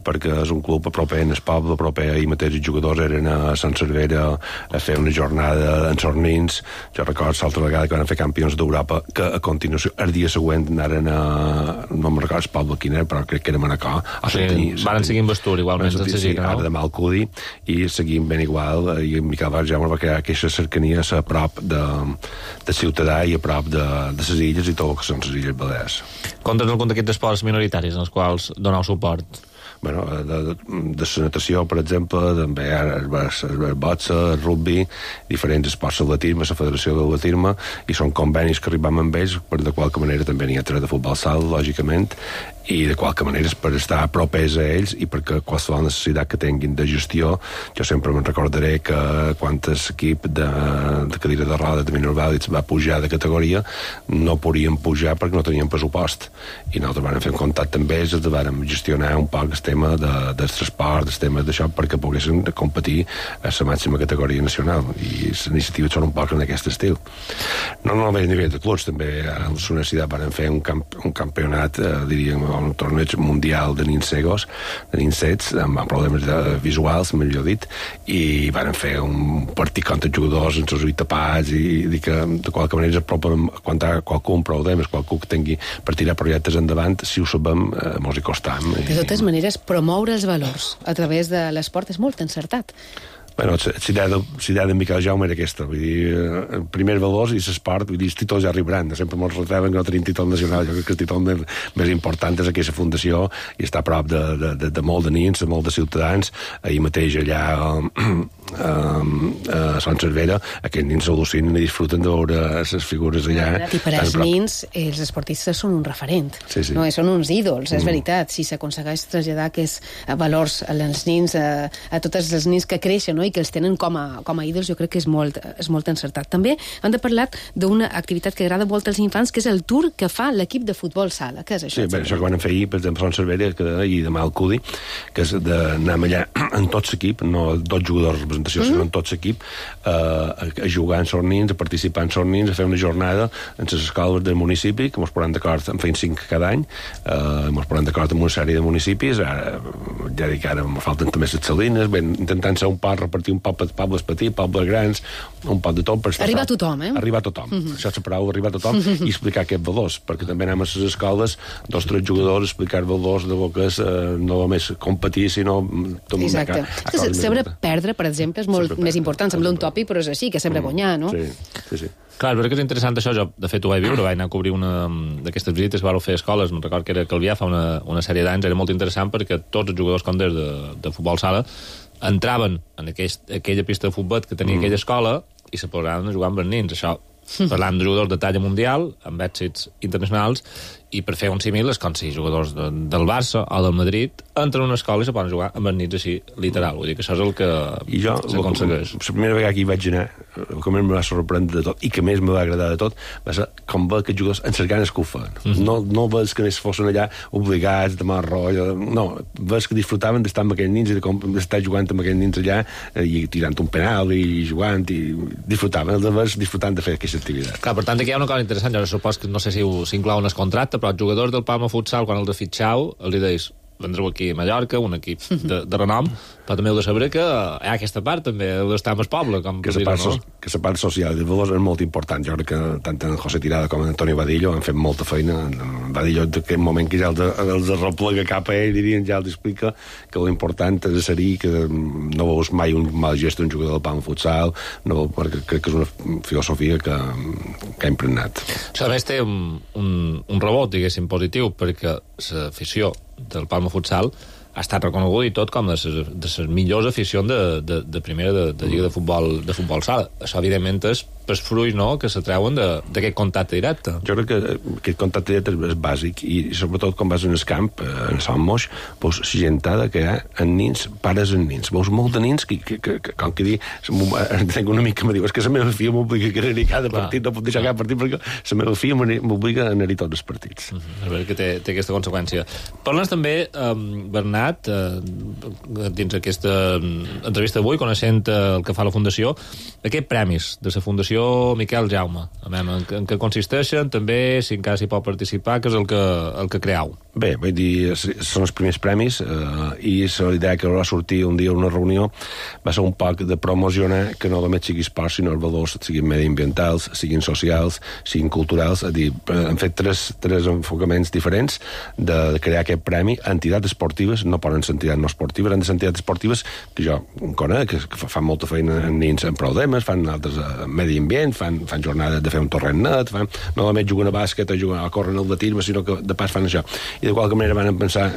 perquè és un club proper en el poble, proper, ahir mateix els jugadors eren a Sant Cervera a fer una jornada en Sornins. Jo recordo l'altra vegada que van fer campions d'Europa, que a continuació, el dia següent anaren a, no me'n recordo el poble quin era, però crec que era Manacor. Sí, van seguir en Vestur, igualment. Sí, ara demà al Cudi, i seguim ben igual, i Miquel Jaume va crear aquesta cercania a prop de, de ciutadà i a prop de, de les illes i tot el que són les Illes Balears. Conta'ns algun d'aquests esports minoritaris en els quals doneu suport? Bueno, de, de, de la natació, per exemple, també el, el, el boxa, el rugby, diferents esports, l'atletisme, la Federació de l'Atletisme, i són convenis que arribem amb ells, per de qualque manera també n'hi ha tres de futbol sala, lògicament, i de qualque manera és per estar propers a ells i perquè qualsevol necessitat que tinguin de gestió. Jo sempre me'n recordaré que quan l'equip de, de cadira de roda de minors vàlids va pujar de categoria, no podien pujar perquè no tenien pressupost, i nosaltres vam fer un contacte amb ells, els vam gestionar un poc el tema de, del transport, el tema d'això, perquè poguessin competir a la màxima categoria nacional, i les iniciatives són un poc en aquest estil. No només a nivell de clubs, també a la universitat van fer un, camp, un campionat, eh, diríem, un torneig mundial de nins cegos, de nins cets, amb problemes de visuals, millor dit, i van fer un partit contra jugadors amb els ulls tapats, i dir que de qualque manera apropen quan hi ha qualcú amb problemes, qualcú que tingui per tirar projectes endavant, si ho sabem, eh, mos hi costam. De totes maneres, promoure els valors a través de l'esport és molt encertat. Bueno, l'idea de Miquel Jaume era aquesta, vull dir, el primer valors i l'esport, vull dir, els títols ja arribaran, sempre ens retraven que no tenim títol nacional, jo crec que el títol més, més important és aquesta fundació, i està a prop de, de, de, de molt de nins, de molt de ciutadans. Ahir mateix allà a, a, a Sant Cervera, aquests nins s'al·lucinen i disfruten de veure les figures allà. I per als nins, els esportistes són un referent, sí, sí. No? Són uns ídols, és mm. veritat, si s'aconsegueix traslladar aquests valors als nins, a, a tots els nins que creixen, no? i que els tenen com a, com a ídols, jo crec que és molt, és molt encertat. També hem de parlar d'una activitat que agrada molt als infants, que és el tour que fa l'equip de futbol sala. Què és això? Sí, bé, això que van fer ahir, per exemple, Son Cervera, que ahir demà al Cudi, que és d'anar allà en tot l'equip, no dos jugadors de representació, mm-hmm. sinó en tot l'equip, eh, a, a jugar en sornins, a participar en sornins, a fer una jornada en les escoles del municipi, que ens posem d'acord, en feien cinc cada any, eh, ens posem d'acord amb una sèrie de municipis, ara, ja dic, ara em falten també les salines, ben, intentant ser un poc, repartir un poc per pobles petits, pobles grans, un poc de tot. Per arribar a tothom, eh? Arribar a tothom. Mm-hmm. Això és la paraula, arribar a tothom, mm-hmm. i explicar aquests valors, perquè també anem a les escoles, dos o tres jugadors, explicar valors de bo que és eh, no només competir, sinó... Exacte. A, a saber perdre, per exemple, és molt més important, sembla un tòpic, però és així, que saber guanyar, no? Sí, sí, sí. Clar, però que és interessant això, jo de fet ho vaig viure, vaig anar a cobrir una d'aquestes visites, vau fer escoles, me'n record que era Calvià fa una, una sèrie d'anys, era molt interessant perquè tots els jugadors conders de, de futbol sala entraven en aquell, aquella pista de futbol que tenia mm. aquella escola i se posaven a jugar amb els nins, això parlant de jugadors de talla mundial, amb èxits internacionals, i per fer un símil és com si jugadors de, del Barça o del Madrid entren a una escola i se poden jugar amb els nits així, literal. Vull dir que això és el que s'aconsegueix. La primera vegada que hi vaig anar, el que més em va sorprendre de tot, i que més me va agradar de tot, va ser com veure aquests jugadors en les ganes que ho feien. Mm-hmm. No, no veus que fossin allà obligats, de mal rotllo, no, veus que disfrutaven d'estar amb aquells nins i d'estar jugant amb aquells nins allà i tirant un penal i jugant, i disfrutaven, els veus disfrutant de fer aquesta activitat. Clar, per tant, aquí hi ha una cosa interessant, jo supos que no sé si s'inclou en el contracte, però els jugadors del Palma Futsal, quan els fitxau, els deis, vendreu aquí a Mallorca, un equip de, de renom, però també heu de saber que hi ha aquesta part, també heu d'estar amb el poble, com que la part, no? so, que la part social de valors és molt important. Jo crec que tant en José Tirada com en Antonio Vadillo han fet molta feina. En Vadillo, en aquell moment que ja els, els replega cap a ell, dirien, ja els explica que l'important és ser que no veus mai un mal gest d'un jugador del Palma Futsal, no, perquè crec que és una filosofia que, que ha impregnat. Això a més té un, un, un rebot, diguéssim, positiu, perquè l'afició del Palma Futsal ha estat reconegut i tot com de les millors aficions de, de, de primera de, de lliga de futbol, de futbol sala. Això, evidentment, és per fruits, no?, que se treuen d'aquest contacte directe. Jo crec que aquest contacte directe és bàsic i, sobretot, quan vas en el camp, en Sant Moix, veus la gentada que hi ha en nins, pares en nins. Veus molt de nins que, que, que, que com que dir, tenc una mica que me diu, és que la meva filla m'obliga a anar-hi cada partit, no puc deixar cada partit perquè la meva filla m'obliga a anar-hi tots els partits. Uh -huh. A veure que té, té aquesta conseqüència. Parles també, um, Bernat, uh, dins aquesta entrevista d'avui, coneixent uh, el que fa la Fundació, aquests premis de la Fundació Miquel Jaume, a veure, en, en què consisteixen, també, si encara s'hi pot participar, que és el que, el que creeu. Bé, vull dir, són els primers premis eh, i la idea que va sortir un dia a una reunió va ser un poc de promocionar que no només sigui esport, sinó els valors siguin mediambientals, siguin socials, siguin culturals. És dir, hem fet tres, tres enfocaments diferents de, de crear aquest premi. Entitats esportives, no poden ser entitats no esportives, han de ser entitats esportives que jo conec, que, que fan molta feina en nins en problemes, fan altres uh, medi ambient, fan, fan jornades de fer un torrent net, fan, no només juguen a bàsquet o juguen a córrer en el atletisme, sinó que de pas fan això. I de qualque manera van pensar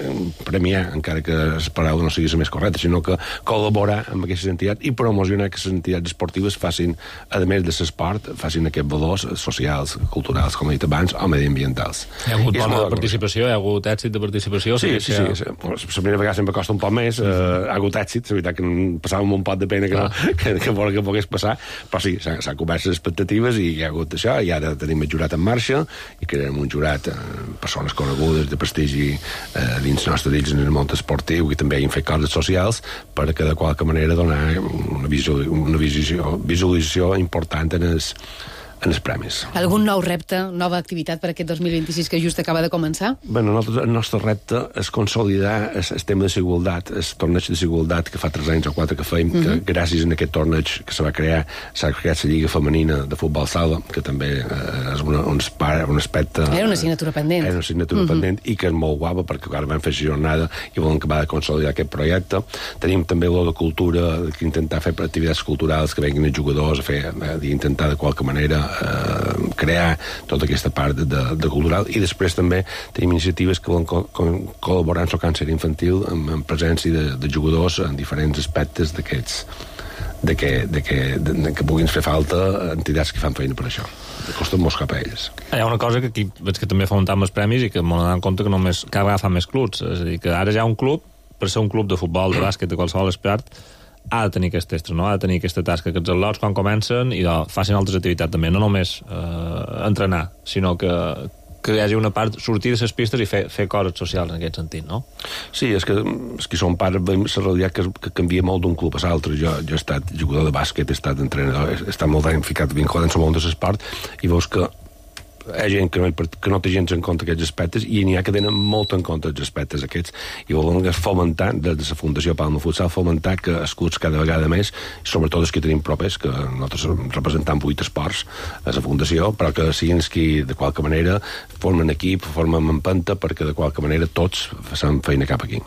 premiar, encara que la paraula no sigui la més correcta, sinó que col·laborar amb aquestes entitats i promocionar que les entitats esportives facin, a més de l'esport, facin aquests valors socials, culturals, com he dit abans, o mediambientals. Hi ha hagut bona participació, hi ha hagut èxit de participació? Sí, sí, sí. sí. La primera vegada sempre costa un poc més, eh, ha hagut èxit, la veritat que passàvem un pot de pena que, no, que, que, que, que pogués passar, però sí, s'han cobert les expectatives i hi ha hagut això, i ara tenim el jurat en marxa i crearem un jurat, eh, persones conegudes de prestigi eh, dins nostre dins en el món esportiu, i també hem fet coses socials perquè de qualque manera donar una, visu, una visu, visualització important en els en els premis. Algun nou repte, nova activitat per aquest dos mil vint-i-sis que just acaba de començar? Bueno, el nostre repte és consolidar el, el tema de igualtat, el torneig de igualtat que fa tres anys o quatre que feim, uh -huh. que gràcies a aquest torneig que se va crear, s'ha creat la Lliga Femenina de Futbol Sala, que també eh, és una, un, un aspecte... Era una assignatura pendent. Era una assignatura uh -huh. pendent i que és molt guapa perquè ara vam fer la jornada i volem acabar de consolidar aquest projecte. Tenim també el de cultura, que intentar fer activitats culturals que venguin els jugadors a fer, eh, d'intentar de qualque manera Eh, crear tota aquesta part de, de cultural, i després també tenim iniciatives que volen co co col·laborar amb el càncer infantil amb, amb presència de, de jugadors en diferents aspectes d'aquests de que, de que, de, de que puguin fer falta entitats que fan feina per això. Costa molt cap a ells. Hi ha una cosa que aquí veig que també fa un tant amb els premis i que m'ho donen en compte que només cada vegada fan més clubs. És a dir, que ara ja un club, per ser un club de futbol, de bàsquet, de qualsevol esport, ha de tenir aquest extra, no? Ha de tenir aquesta tasca, que els al·lots quan comencen i doncs, facin altres activitats també, no només eh, entrenar, sinó que, que hi hagi una part, sortir de les pistes i fer, fer coses socials en aquest sentit, no? Sí, és que, és que som pares, veiem la realitat que, que canvia molt d'un club a l'altre. Jo, jo he estat jugador de bàsquet, he estat entrenador, he estat molt anys ficat vinculat en el món de l'esport, i veus que hi ha gent que no, que no té gens en compte aquests aspectes i n'hi ha que tenen molt en compte els aspectes aquests i volen fomentar, des de la Fundació Palma Futsal, fomentar que els clubs cada vegada més, sobretot els que tenim propers, que nosaltres representam vuit esports a la Fundació, però que siguin els que de qualque manera formen equip, formen empenta, perquè de qualque manera tots facin feina cap aquí.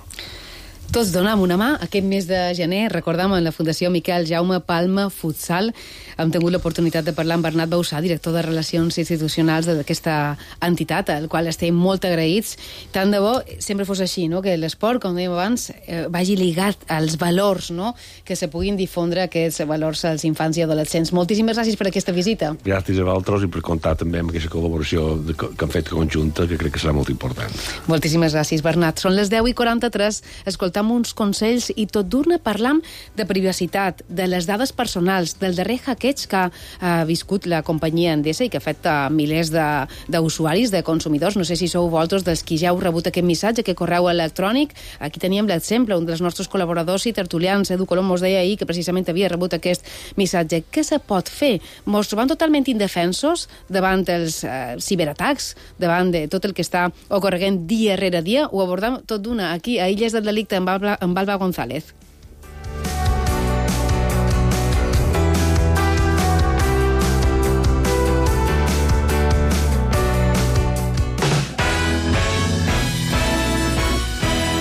Tots donem una mà. Aquest mes de gener, recordem, en la Fundació Miquel Jaume Palma Futsal, hem tingut l'oportunitat de parlar amb Bernat Bausà, director de Relacions Institucionals d'aquesta entitat, al qual estem molt agraïts. Tant de bo sempre fos així, no? Que l'esport, com dèiem abans, eh, vagi ligat als valors, no? Que se puguin difondre aquests valors als infants i adolescents. Moltíssimes gràcies per aquesta visita. Gràcies a vosaltres i per comptar també amb aquesta col·laboració de, que hem fet conjunta, que crec que serà molt important. Moltíssimes gràcies, Bernat. Són les deu i quaranta-tres. Escoltam uns consells i tot d'una parlam de privacitat, de les dades personals, del darrer hackeig que ha viscut la companyia Endesa i que ha fet a milers d'usuaris, de, de consumidors. No sé si sou vosaltres dels qui ja heu rebut aquest missatge, aquest correu electrònic. Aquí teníem l'exemple, un dels nostres col·laboradors i tertulians, Edu Colom, mos deia ahir que precisament havia rebut aquest missatge. Què se pot fer? Mos trobam totalment indefensos davant els eh, ciberatacs, davant de tot el que està ocorrent dia rere dia. Ho abordam tot d'una aquí, a Illes del Delicte, amb Alba, amb Alba González.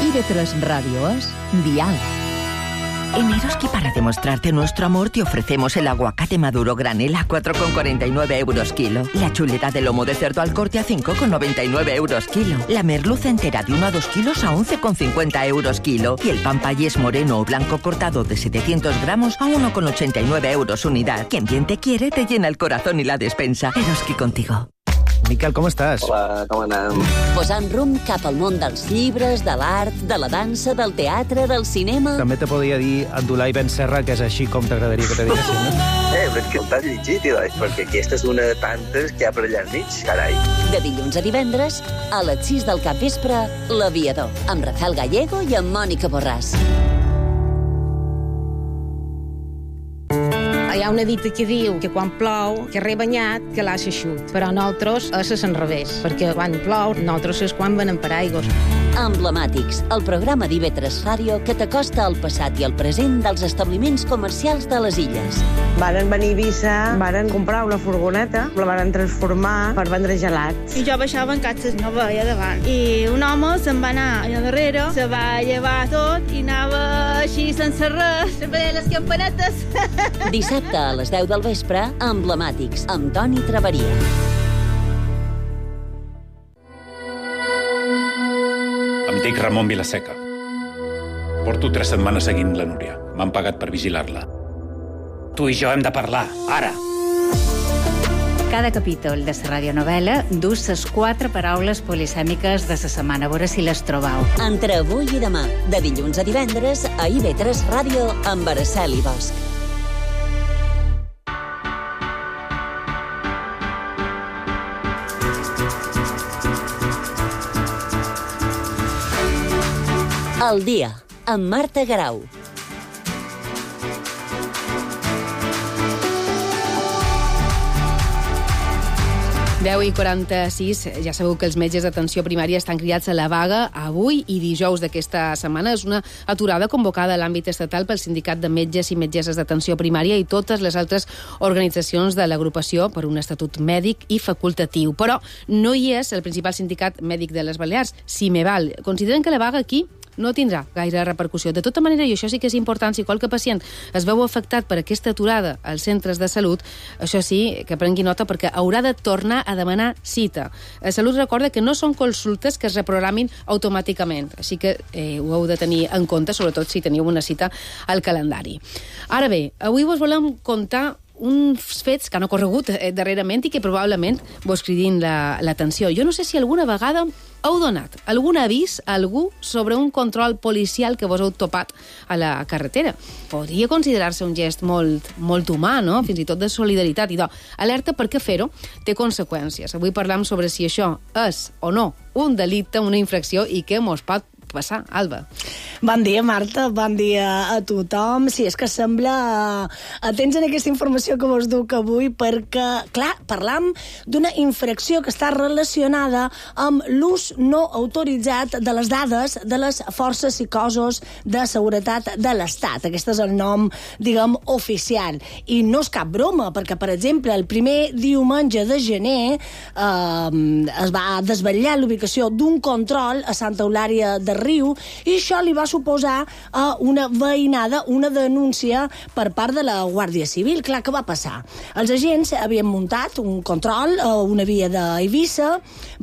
I V tres Radio es Dial. En Eroski, para demostrarte nuestro amor, te ofrecemos el aguacate maduro granel a cuatro con cuarenta y nueve euros kilo, la chuleta de lomo de cerdo al corte a cinco con noventa y nueve euros kilo, la merluza entera de uno a dos kilos a once con cincuenta euros kilo y el pan payés moreno o blanco cortado de setecientos gramos a uno con ochenta y nueve euros unidad. Quien bien te quiere, te llena el corazón y la despensa. Eroski contigo. Miquel, com estàs? Hola, com anem? Posant rumb cap al món dels llibres, de l'art, de la dansa, del teatre, del cinema... També te podria dir Abdulai Ben Serra, que és així com t'agradaria que te diguessin, no? Eh, però és que t'has llegit, doncs, perquè aquesta és una de tantes que hi ha per allà enmig, carai. De dilluns a divendres, a les sis del capvespre, L'Aviador, amb Rafael Gallego i amb Mònica Borràs. Hi ha una dita que diu que quan plou, que re banyat, que l'ha xeixut. Però nosaltres és al revés, perquè quan plou, nosaltres és quan venen per aigües. Emblemàtics, el programa d'I V tres Ràdio que t'acosta al passat i al present dels establiments comercials de les illes. Varen venir a Eivissa, varen comprar una furgoneta, la varen transformar per vendre gelats. I jo baixava en catxes, no veia davant. I un home se'n va anar allà darrere, se va llevar tot i anava així sense res, sempre deia les campanetes. Dissabte a les deu del vespre, Emblemàtics, amb Toni Traveria. Em dic Ramon Vilaseca. Porto tres setmanes seguint la Núria. M'han pagat per vigilar-la. Tu i jo hem de parlar, ara. Cada capítol de la radionovel·la dus les quatre paraules polisèmiques de la setmana. A veure si les trobeu. Entre avui i demà, de dilluns a divendres, a I V tres Ràdio, amb Araceli Bosch. El dia, amb Marta Garau. deu i quaranta-sis, ja sabeu que els metges d'atenció primària estan cridats a la vaga avui i dijous d'aquesta setmana. És una aturada convocada a l'àmbit estatal pel Sindicat de Metges i Metgesses d'Atenció Primària i totes les altres organitzacions de l'agrupació per un estatut mèdic i facultatiu. Però no hi és el principal sindicat mèdic de les Balears, Simeval. Consideren que la vaga aquí no tindrà gaire repercussió. De tota manera, i això sí que és important, si qualque pacient es veu afectat per aquesta aturada als centres de salut, això sí, que prengui nota perquè haurà de tornar a demanar cita. La Salut recorda que no són consultes que es reprogramin automàticament, així que eh, ho heu de tenir en compte, sobretot si teniu una cita al calendari. Ara bé, avui vos volem contar uns fets que han ocorregut eh, darrerament i que probablement vos cridin l'atenció. La, jo no sé si alguna vegada heu donat algun avís a algú sobre un control policial que vos heu topat a la carretera. Podria considerar-se un gest molt, molt humà, no? Fins i tot de solidaritat. I doncs, alerta perquè fer-ho té conseqüències. Avui parlam sobre si això és o no un delicte, una infracció i què mos pot passar. Alba. Bon dia, Marta. Bon dia a tothom. Sí, és que sembla atents en aquesta informació que vos duc avui perquè, clar, parlam d'una infracció que està relacionada amb l'ús no autoritzat de les dades de les forces i cossos de seguretat de l'Estat. Aquest és el nom, diguem, oficial. I no és cap broma, perquè, per exemple, el primer diumenge de gener eh, es va desvetllar l'ubicació d'un control a Santa Eulària de Riu i això li va suposar uh, una veïnada, una denúncia per part de la Guàrdia Civil. Clar, què va passar? Els agents havien muntat un control a una via d'Eivissa,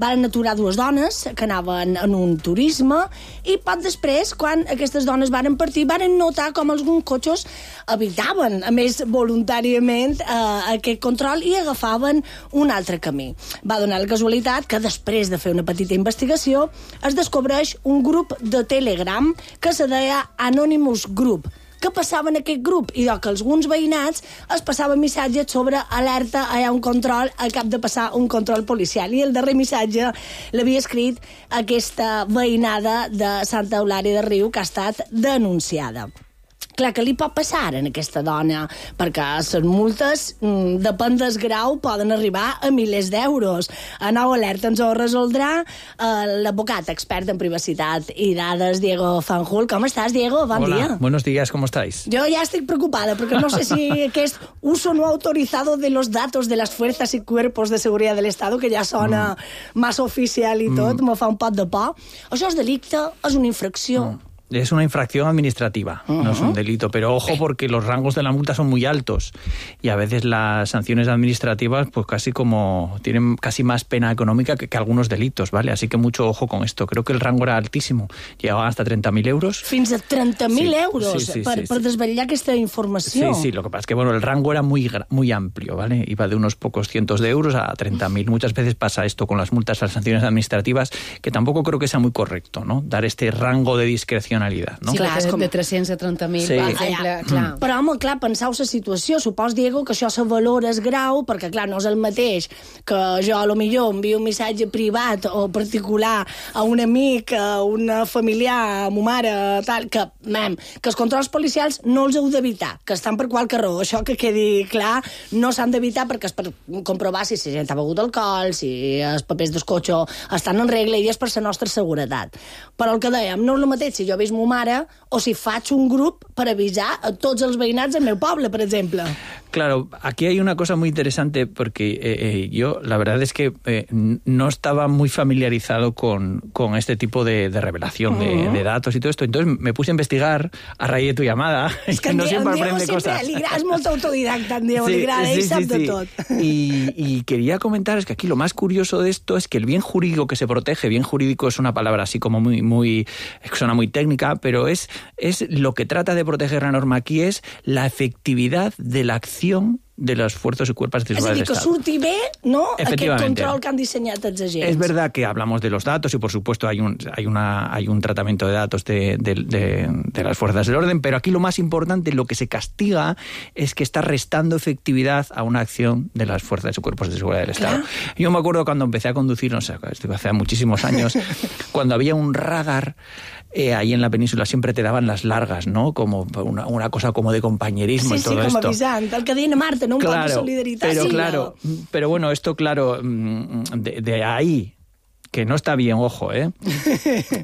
van aturar dues dones que anaven en un turisme i poc després, quan aquestes dones van partir, van notar com alguns cotxes evitaven, a més voluntàriament, uh, aquest control i agafaven un altre camí. Va donar la casualitat que després de fer una petita investigació es descobreix un grup de Telegram que se deia Anonymous Group. Què passava en aquest grup? I que alguns veïnats es passaven missatges sobre alerta, hi ha un control, al cap de passar un control policial. I el darrer missatge l'havia escrit aquesta veïnada de Santa Eulària de Riu que ha estat denunciada. Clar, que li pot passar en aquesta dona? Perquè les multes, depèn del grau, poden arribar a milers d'euros. A Nou Alerta ens ho resoldrà eh, l'advocat expert en privacitat i dades, Diego Fanjul. Com estàs, Diego? Bon Hola, dia. Buenos días, ¿cómo estáis? Jo ja estic preocupada, perquè no sé si aquest uso no autorizado de los datos de las fuerzas y cuerpos de seguridad del Estado, que ja sona mm. massa oficial i tot, mm. me fa un pot de por. Això és delicte? És una infracció? Mm. Es una infracción administrativa, uh-huh. no es un delito, pero ojo porque los rangos de la multa son muy altos y a veces las sanciones administrativas pues casi como tienen casi más pena económica que, que algunos delitos, ¿vale? Así que mucho ojo con esto. Creo que el rango era altísimo, llegaban hasta treinta mil euros. Fins a treinta mil sí, euros sí, sí, per, sí, per sí. desvetllar aquesta informació. Sí, sí, lo que pasa es que bueno, el rango era muy, muy amplio, ¿vale? Iba de unos pocos cientos de euros a treinta mil. Muchas veces pasa esto con las multas, las sanciones administrativas, que tampoco creo que sea muy correcto, ¿no? Dar este rango de discrecionalidad, ¿no? Sí, clar, de, de tres-cents a trenta mil, sí. per exemple, ah, ja. clar. Però, home, clar, penseu la situació. Supos, Diego, que això se valora es grau, perquè, clar, no és el mateix que jo, a lo millor, envio un missatge privat o particular a un amic, a una familiar, a ma mare, tal, que, mem, que els controls policials no els heu d'evitar, que estan per qualque raó. Això que quedi clar, no s'han d'evitar perquè és per comprovar si la gent ha begut alcohol, si els papers del cotxe estan en regla i és per la nostra seguretat. Però el que dèiem, no és el mateix si jo veig ma mare o si faig un grup per avisar a tots els veïnats del meu poble, per exemple. Claro, aquí hay una cosa muy interesante porque eh, eh, yo la verdad es que eh, no estaba muy familiarizado con, con este tipo de, de revelación de, de datos y todo esto. Entonces me puse a investigar a raíz de tu llamada. Es que no en siempre Diego aprende siempre cosas. li agrada, és molt autodidacta, en Diego, Sí, li agrada, sí, ell sí, sap sí. de tot. Y, y quería comentaros que aquí lo más curioso de esto es que el bien jurídico que se protege, bien jurídico es una palabra así como muy, muy, suena muy técnica, pero es, es lo que trata de proteger la norma aquí es la efectividad de la acción de los fuerzos y cuerpos de És a seguridad dir, del que Estado. surti bé, no?, aquest Efectivamente. control que han diseñat els agents. Es verdad que hablamos de los datos y, por supuesto, hay un, hay una, hay un tratamiento de datos de, de, de, de las fuerzas del orden, pero aquí lo más importante, lo que se castiga, es que está restando efectividad a una acción de las fuerzas y cuerpos de seguridad del Estado. Claro. Yo me acuerdo cuando empecé a conducir, no sé, esto hace muchísimos años, cuando había un radar eh, ahí en la península, siempre te daban las largas, ¿no? Como una, una cosa como de compañerismo Sí, y todo sí, com esto. avisant, el que deien a Marta, no? Un Claro, poc de solidaritat. pero sí, claro, no. pero bueno, esto claro, de, de ahí, que no está bien, ojo, ¿eh?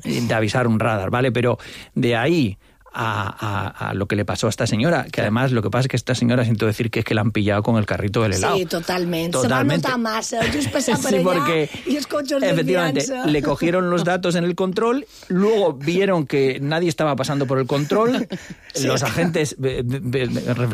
de avisar un radar, ¿vale? Pero de ahí a, a, a lo que le pasó a esta señora, que además lo que pasa es que esta señora siento decir que es que la han pillado con el carrito del helado. Sí, totalment. Totalmente. Se va notar massa, just passar per Sí, allà porque i els cotxes efectivamente desviant-se. le cogieron los datos en el control, luego vieron que nadie estaba pasando por el control, Sí. los agentes eh, eh,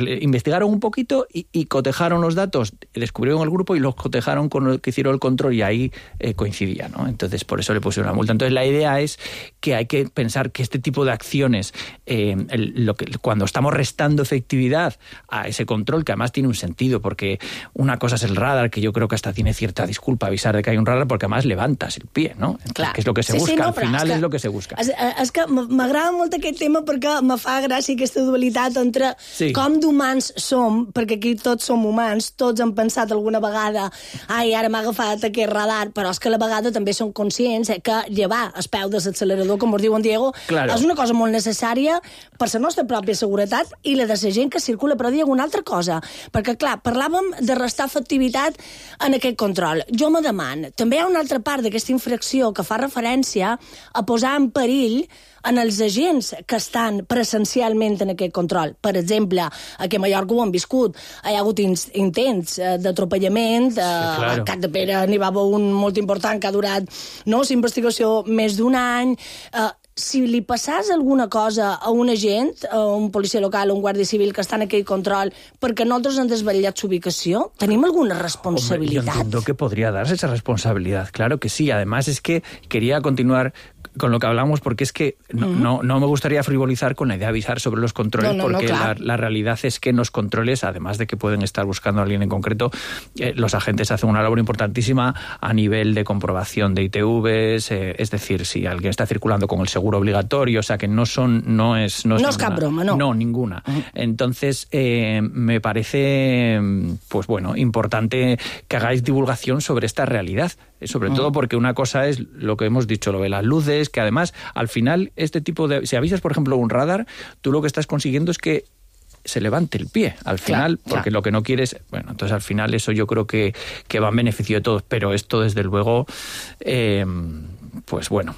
eh, investigaron un poquito y, y cotejaron los datos, descubrieron el grupo y los cotejaron con el que hicieron el control y ahí eh, coincidía, ¿no? Entonces por eso le pusieron la multa. Entonces la idea es que hay que pensar que este tipo de acciones eh, el, lo que, cuando estamos restando efectividad a ese control, que además tiene un sentido, porque una cosa es el radar, que yo creo que hasta tiene cierta disculpa avisar de que hay un radar, porque además levantas el pie, ¿no? Entonces, que és el que se sí, busca, sí, no, al final és, és el que se busca. És, és que m'agrada molt aquest tema perquè me fa gràcia aquesta dualitat entre sí. com d'humans som, perquè aquí tots som humans, tots hem pensat alguna vegada ai, ara m'ha agafat aquest radar, però és que a la vegada també som conscients eh, que llevar el peu de l'accelerador, com us diu en Diego, claro. és una cosa molt necessària per la nostra pròpia seguretat i la de la gent que circula. Però Diego, una altra cosa, perquè clar, parlàvem de restar efectivitat en aquest control. Jo me deman, també hi ha una altra part d'aquesta infracció que fa referència a posar en perill en els agents que estan presencialment en aquest control. Per exemple, aquí a Mallorca ho han viscut. Hi ha hagut intents d'atropellament, sí, claro. A Cap de Pere n'hi va haver un molt important que ha durat no, la investigació més d'un any. Eh, si li passàs alguna cosa a un agent, a un policia local o un guàrdia civil que està en aquell control perquè nosaltres han desvetllat su ubicació, ¿tenim alguna responsabilidad? Hombre, yo entiendo que podría darse esa responsabilidad, claro que sí. Además es que quería continuar con lo que hablamos, porque es que no, uh-huh. no, no me gustaría frivolizar con la idea de avisar sobre los controles, no, no, porque no, claro. la, la realidad es que en los controles, además de que pueden estar buscando a alguien en concreto, eh, los agentes hacen una labor importantísima a nivel de comprobación de I T Vs, eh, es decir, si alguien está circulando con el seguro obligatorio, o sea que no son, no es... No es, no es cap broma, no. No, ninguna. Uh-huh. Entonces, eh, me parece, pues bueno, importante que hagáis divulgación sobre esta realidad, sobre uh-huh. todo porque una cosa es lo que hemos dicho, lo de las luces, que además, al final, este tipo de... Si avisas, por ejemplo, un radar, tú lo que estás consiguiendo es que se levante el pie, al final, claro, porque claro. lo que no quieres... Bueno, entonces al final eso yo creo que, que va en beneficio de todos, pero esto, desde luego, eh, pues bueno...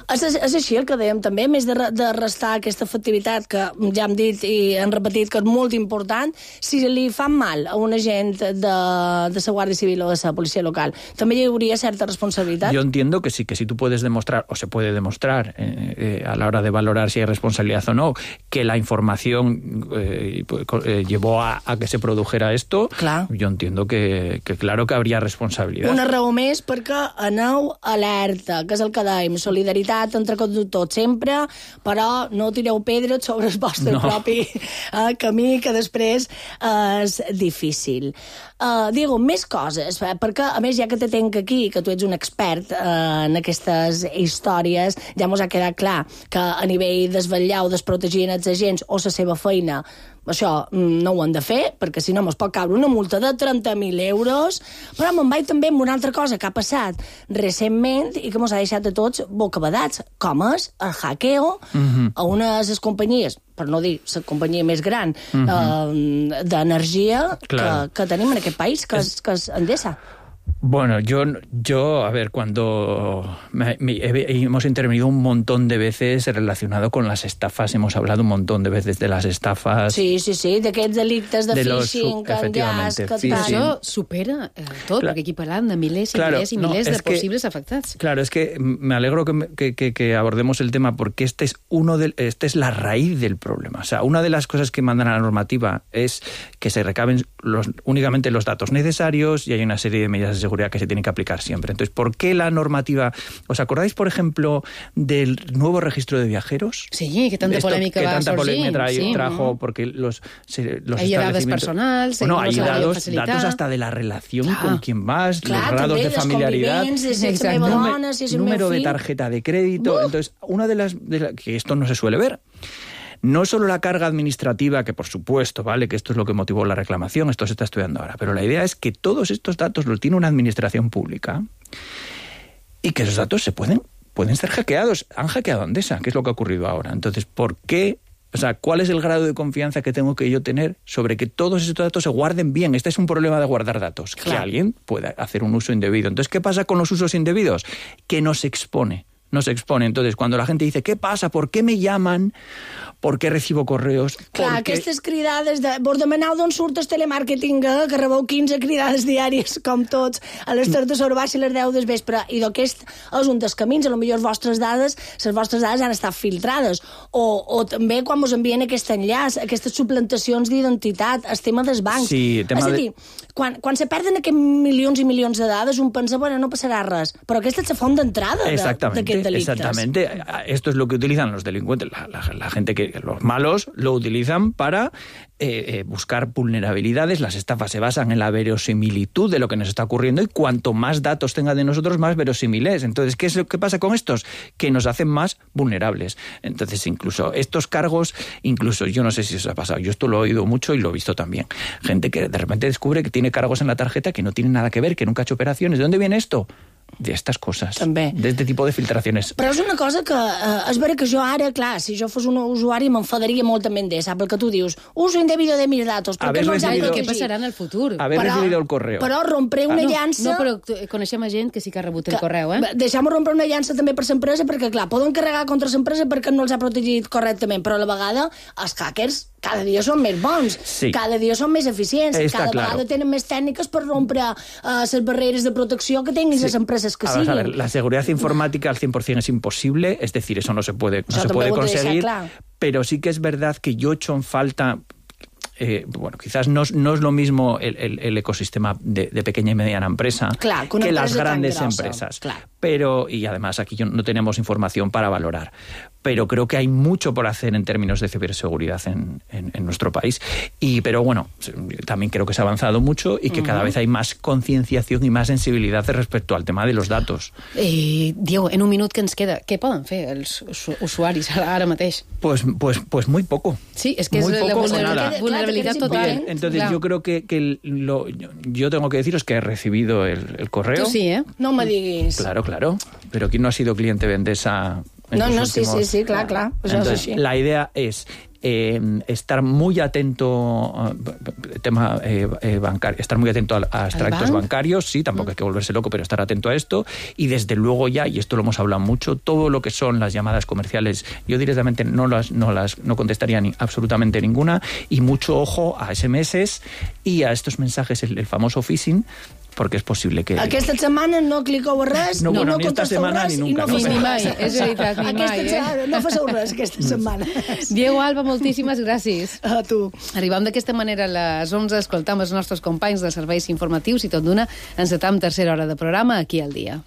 És, és així el que dèiem també, més de, de restar aquesta efectivitat que ja hem dit i hem repetit que és molt important, si li fan mal a un agent de, de la Guàrdia Civil o de la policia local, també hi hauria certa responsabilitat? Yo entiendo que sí, que si tú puedes demostrar, o se puede demostrar eh, eh, a la hora de valorar si hay responsabilidad o no, que la información eh, eh, llevó a, a que se produjera esto, clar. Yo entiendo que, que claro que habría responsabilidad. Una raó més perquè aneu alerta, que és el que dèiem, solidaritat entre conductors sempre, però no tireu pedres sobre el vostre no. propi eh, camí, que després eh, és difícil. Uh, Diego, més coses, eh, perquè a més ja que te tenc aquí, que tu ets un expert eh, en aquestes històries, ja mos ha quedat clar que a nivell desvetllar o desprotegir els agents o la seva feina, això no ho han de fer, perquè si no mos pot caure una multa de trenta mil euros, però me'n vaig també amb una altra cosa que ha passat recentment i que mos ha deixat a tots bocabadats, com és el hackeo uh-huh. a una de les companyies, per no dir la companyia més gran uh-huh. eh, d'energia que, que tenim en aquest país, que és, que és Endesa. Bueno, yo, yo, a ver, cuando me, me, hemos intervenido un montón de veces relacionado con las estafas, hemos hablado un montón de veces de las estafas. Sí, sí, sí, d'aquests delictes de, de phishing, que enllaç, que tal. Això supera eh, tot, claro. Perquè aquí parlem de milers i claro, milers i milers no, de que, posibles afectats. Claro, es que me alegro que, que, que, que abordemos el tema porque este es uno de, este es la raíz del problema. O sea, una de las cosas que mandan a la normativa es que se recaben los, únicamente los datos necesarios y hay una serie de medidas de seguridad que se tienen que aplicar siempre. Entonces, ¿por qué la normativa? ¿Os acordáis, por ejemplo, del nuevo registro de viajeros? Sí, que tanta Esto, polémica que va tanta sorgir. polémica trajo, sí, trajo porque los, se, los hay dades personals, bueno, hay datos, datos hasta de la relación ah, con quien vas, clar, los grados de familiaridad, de número, si número de tarjeta de crédito. Uh. Entonces, una de las, de la, que esto no se suele ver. No solo la carga administrativa, que por supuesto, vale, que esto es lo que motivó la reclamación, esto se está estudiando ahora, pero la idea es que todos estos datos los tiene una administración pública y que esos datos se pueden, pueden ser hackeados. Han hackeado Endesa, que es lo que ha ocurrido ahora. Entonces, ¿por qué? O sea, ¿cuál es el grado de confianza que tengo que yo tener sobre que todos esos datos se guarden bien? Este es un problema de guardar datos, claro. Que alguien pueda hacer un uso indebido. Entonces, ¿qué pasa con los usos indebidos? Que nos expone. Nos expone. Entonces, cuando la gente dice, ¿qué pasa? ¿Por qué me llaman? ¿Por què recibo correos? Clar, Porque... aquestes cridades de... Vos demaneu d'on surt el telemàrqueting, eh? Que rebeu quinze cridades diàries, com tots, a les tres de sobre baix i les deu del vespre. I d'aquest és un dels camins. A lo millor les vostres dades, les vostres dades han estat filtrades. O, o també quan us envien aquest enllaç, aquestes suplantacions d'identitat, el tema dels bancs. Sí, tema és a dir, de... quan, quan se perden aquests milions i milions de dades, un pensa, bueno, no passarà res. Però aquesta és la font d'entrada d'aquest delictes. Exactamente. Esto es lo que utilizan los delincuentes, la, la, la gente que, los malos, lo utilizan para eh, eh, buscar vulnerabilidades. Las estafas se basan en la verosimilitud de lo que nos está ocurriendo y cuanto más datos tenga de nosotros, más verosímil es. Entonces, ¿qué es lo que pasa con estos? Que nos hacen más vulnerables. Entonces, incluso estos cargos, incluso yo no sé si os ha pasado, yo esto lo he oído mucho y lo he visto también. Gente que de repente descubre que tiene cargos en la tarjeta que no tienen nada que ver, que nunca ha hecho operaciones. ¿De dónde viene esto? De estas coses. També. De este tipo de filtraciones. Però és una cosa que, eh, és vera que jo ara, clar, si jo fos un usuari m'enfadaria moltament de, sap el que tu dius? Uso indebido de mis datos, per què no els han Recibido... protegit? Què passarà en el futur? Haver però, recibido el correo. Però rompré una ah, no, llança... No, però coneixem a gent que sí que ha rebut el que, correu, eh? Deixem-ho rompre una llança també per l'empresa, perquè, clar, poden carregar contra l'empresa perquè no els ha protegit correctament, però a la vegada els hackers cada dia són més bons, sí. cada dia són més eficients, Está cada claro. vegada tenen més tècniques per rompre les uh, barreres de protecció que tinguin les sí. empreses que a siguin. Ver, a ver, la seguridad informática al cien por cien es imposible, es decir, eso no se puede, no Això se puede conseguir, deixar, pero sí que es verdad que yo echo en falta... Eh, bueno, quizás no, no es lo mismo el, el, el ecosistema de, de pequeña y mediana empresa claro, que, que las grandes grossa, empresas. Claro. Pero, y además aquí yo no tenemos información para valorar, pero creo que hay mucho por hacer en términos de ciberseguridad en, en, en nuestro país. Y, pero bueno, también creo que se ha avanzado mucho y que uh-huh. cada vez hay más concienciación y más sensibilidad respecto al tema de los datos. Eh, Diego, en un minut que ens queda, què poden fer els usuaris ara mateix? Pues, pues, pues muy poco. Sí, es que muy es poco la vulnerabilidad, nada. vulnerabilidad total. Bien, entonces claro. yo creo que, que lo, yo tengo que deciros que he recibido el, el correo. Tú sí, ¿eh? No me diguis. Claro, claro. Pero ¿quién no ha sido cliente de Endesa? No, no, últimos... sí, sí, sí, clar, clar. Entonces, sí. La idea es eh, estar muy atento uh, tema eh, eh, bancario, estar muy atento a, a extractos bancarios, sí, tampoco mm. hay que volverse loco, pero estar atento a esto y desde luego ya, y esto lo hemos hablado mucho, todo lo que son las llamadas comerciales, yo directamente no las no las no contestaría ni absolutamente ninguna y mucho ojo a ese eme ese y a estos mensajes, el, el famoso phishing, porque és possible que... Aquesta setmana no cliqueu a res, no, i bueno, no ni contesteu res, ni i no nunca. faceu ni res. mai, és veritat, ni aquesta mai, eh? No faceu res aquesta setmana. Diego Alba, moltíssimes gràcies. A tu. Arribam d'aquesta manera a les onze, escoltam els nostres companys dels serveis informatius i tot d'una encetam tercera hora de programa aquí al dia.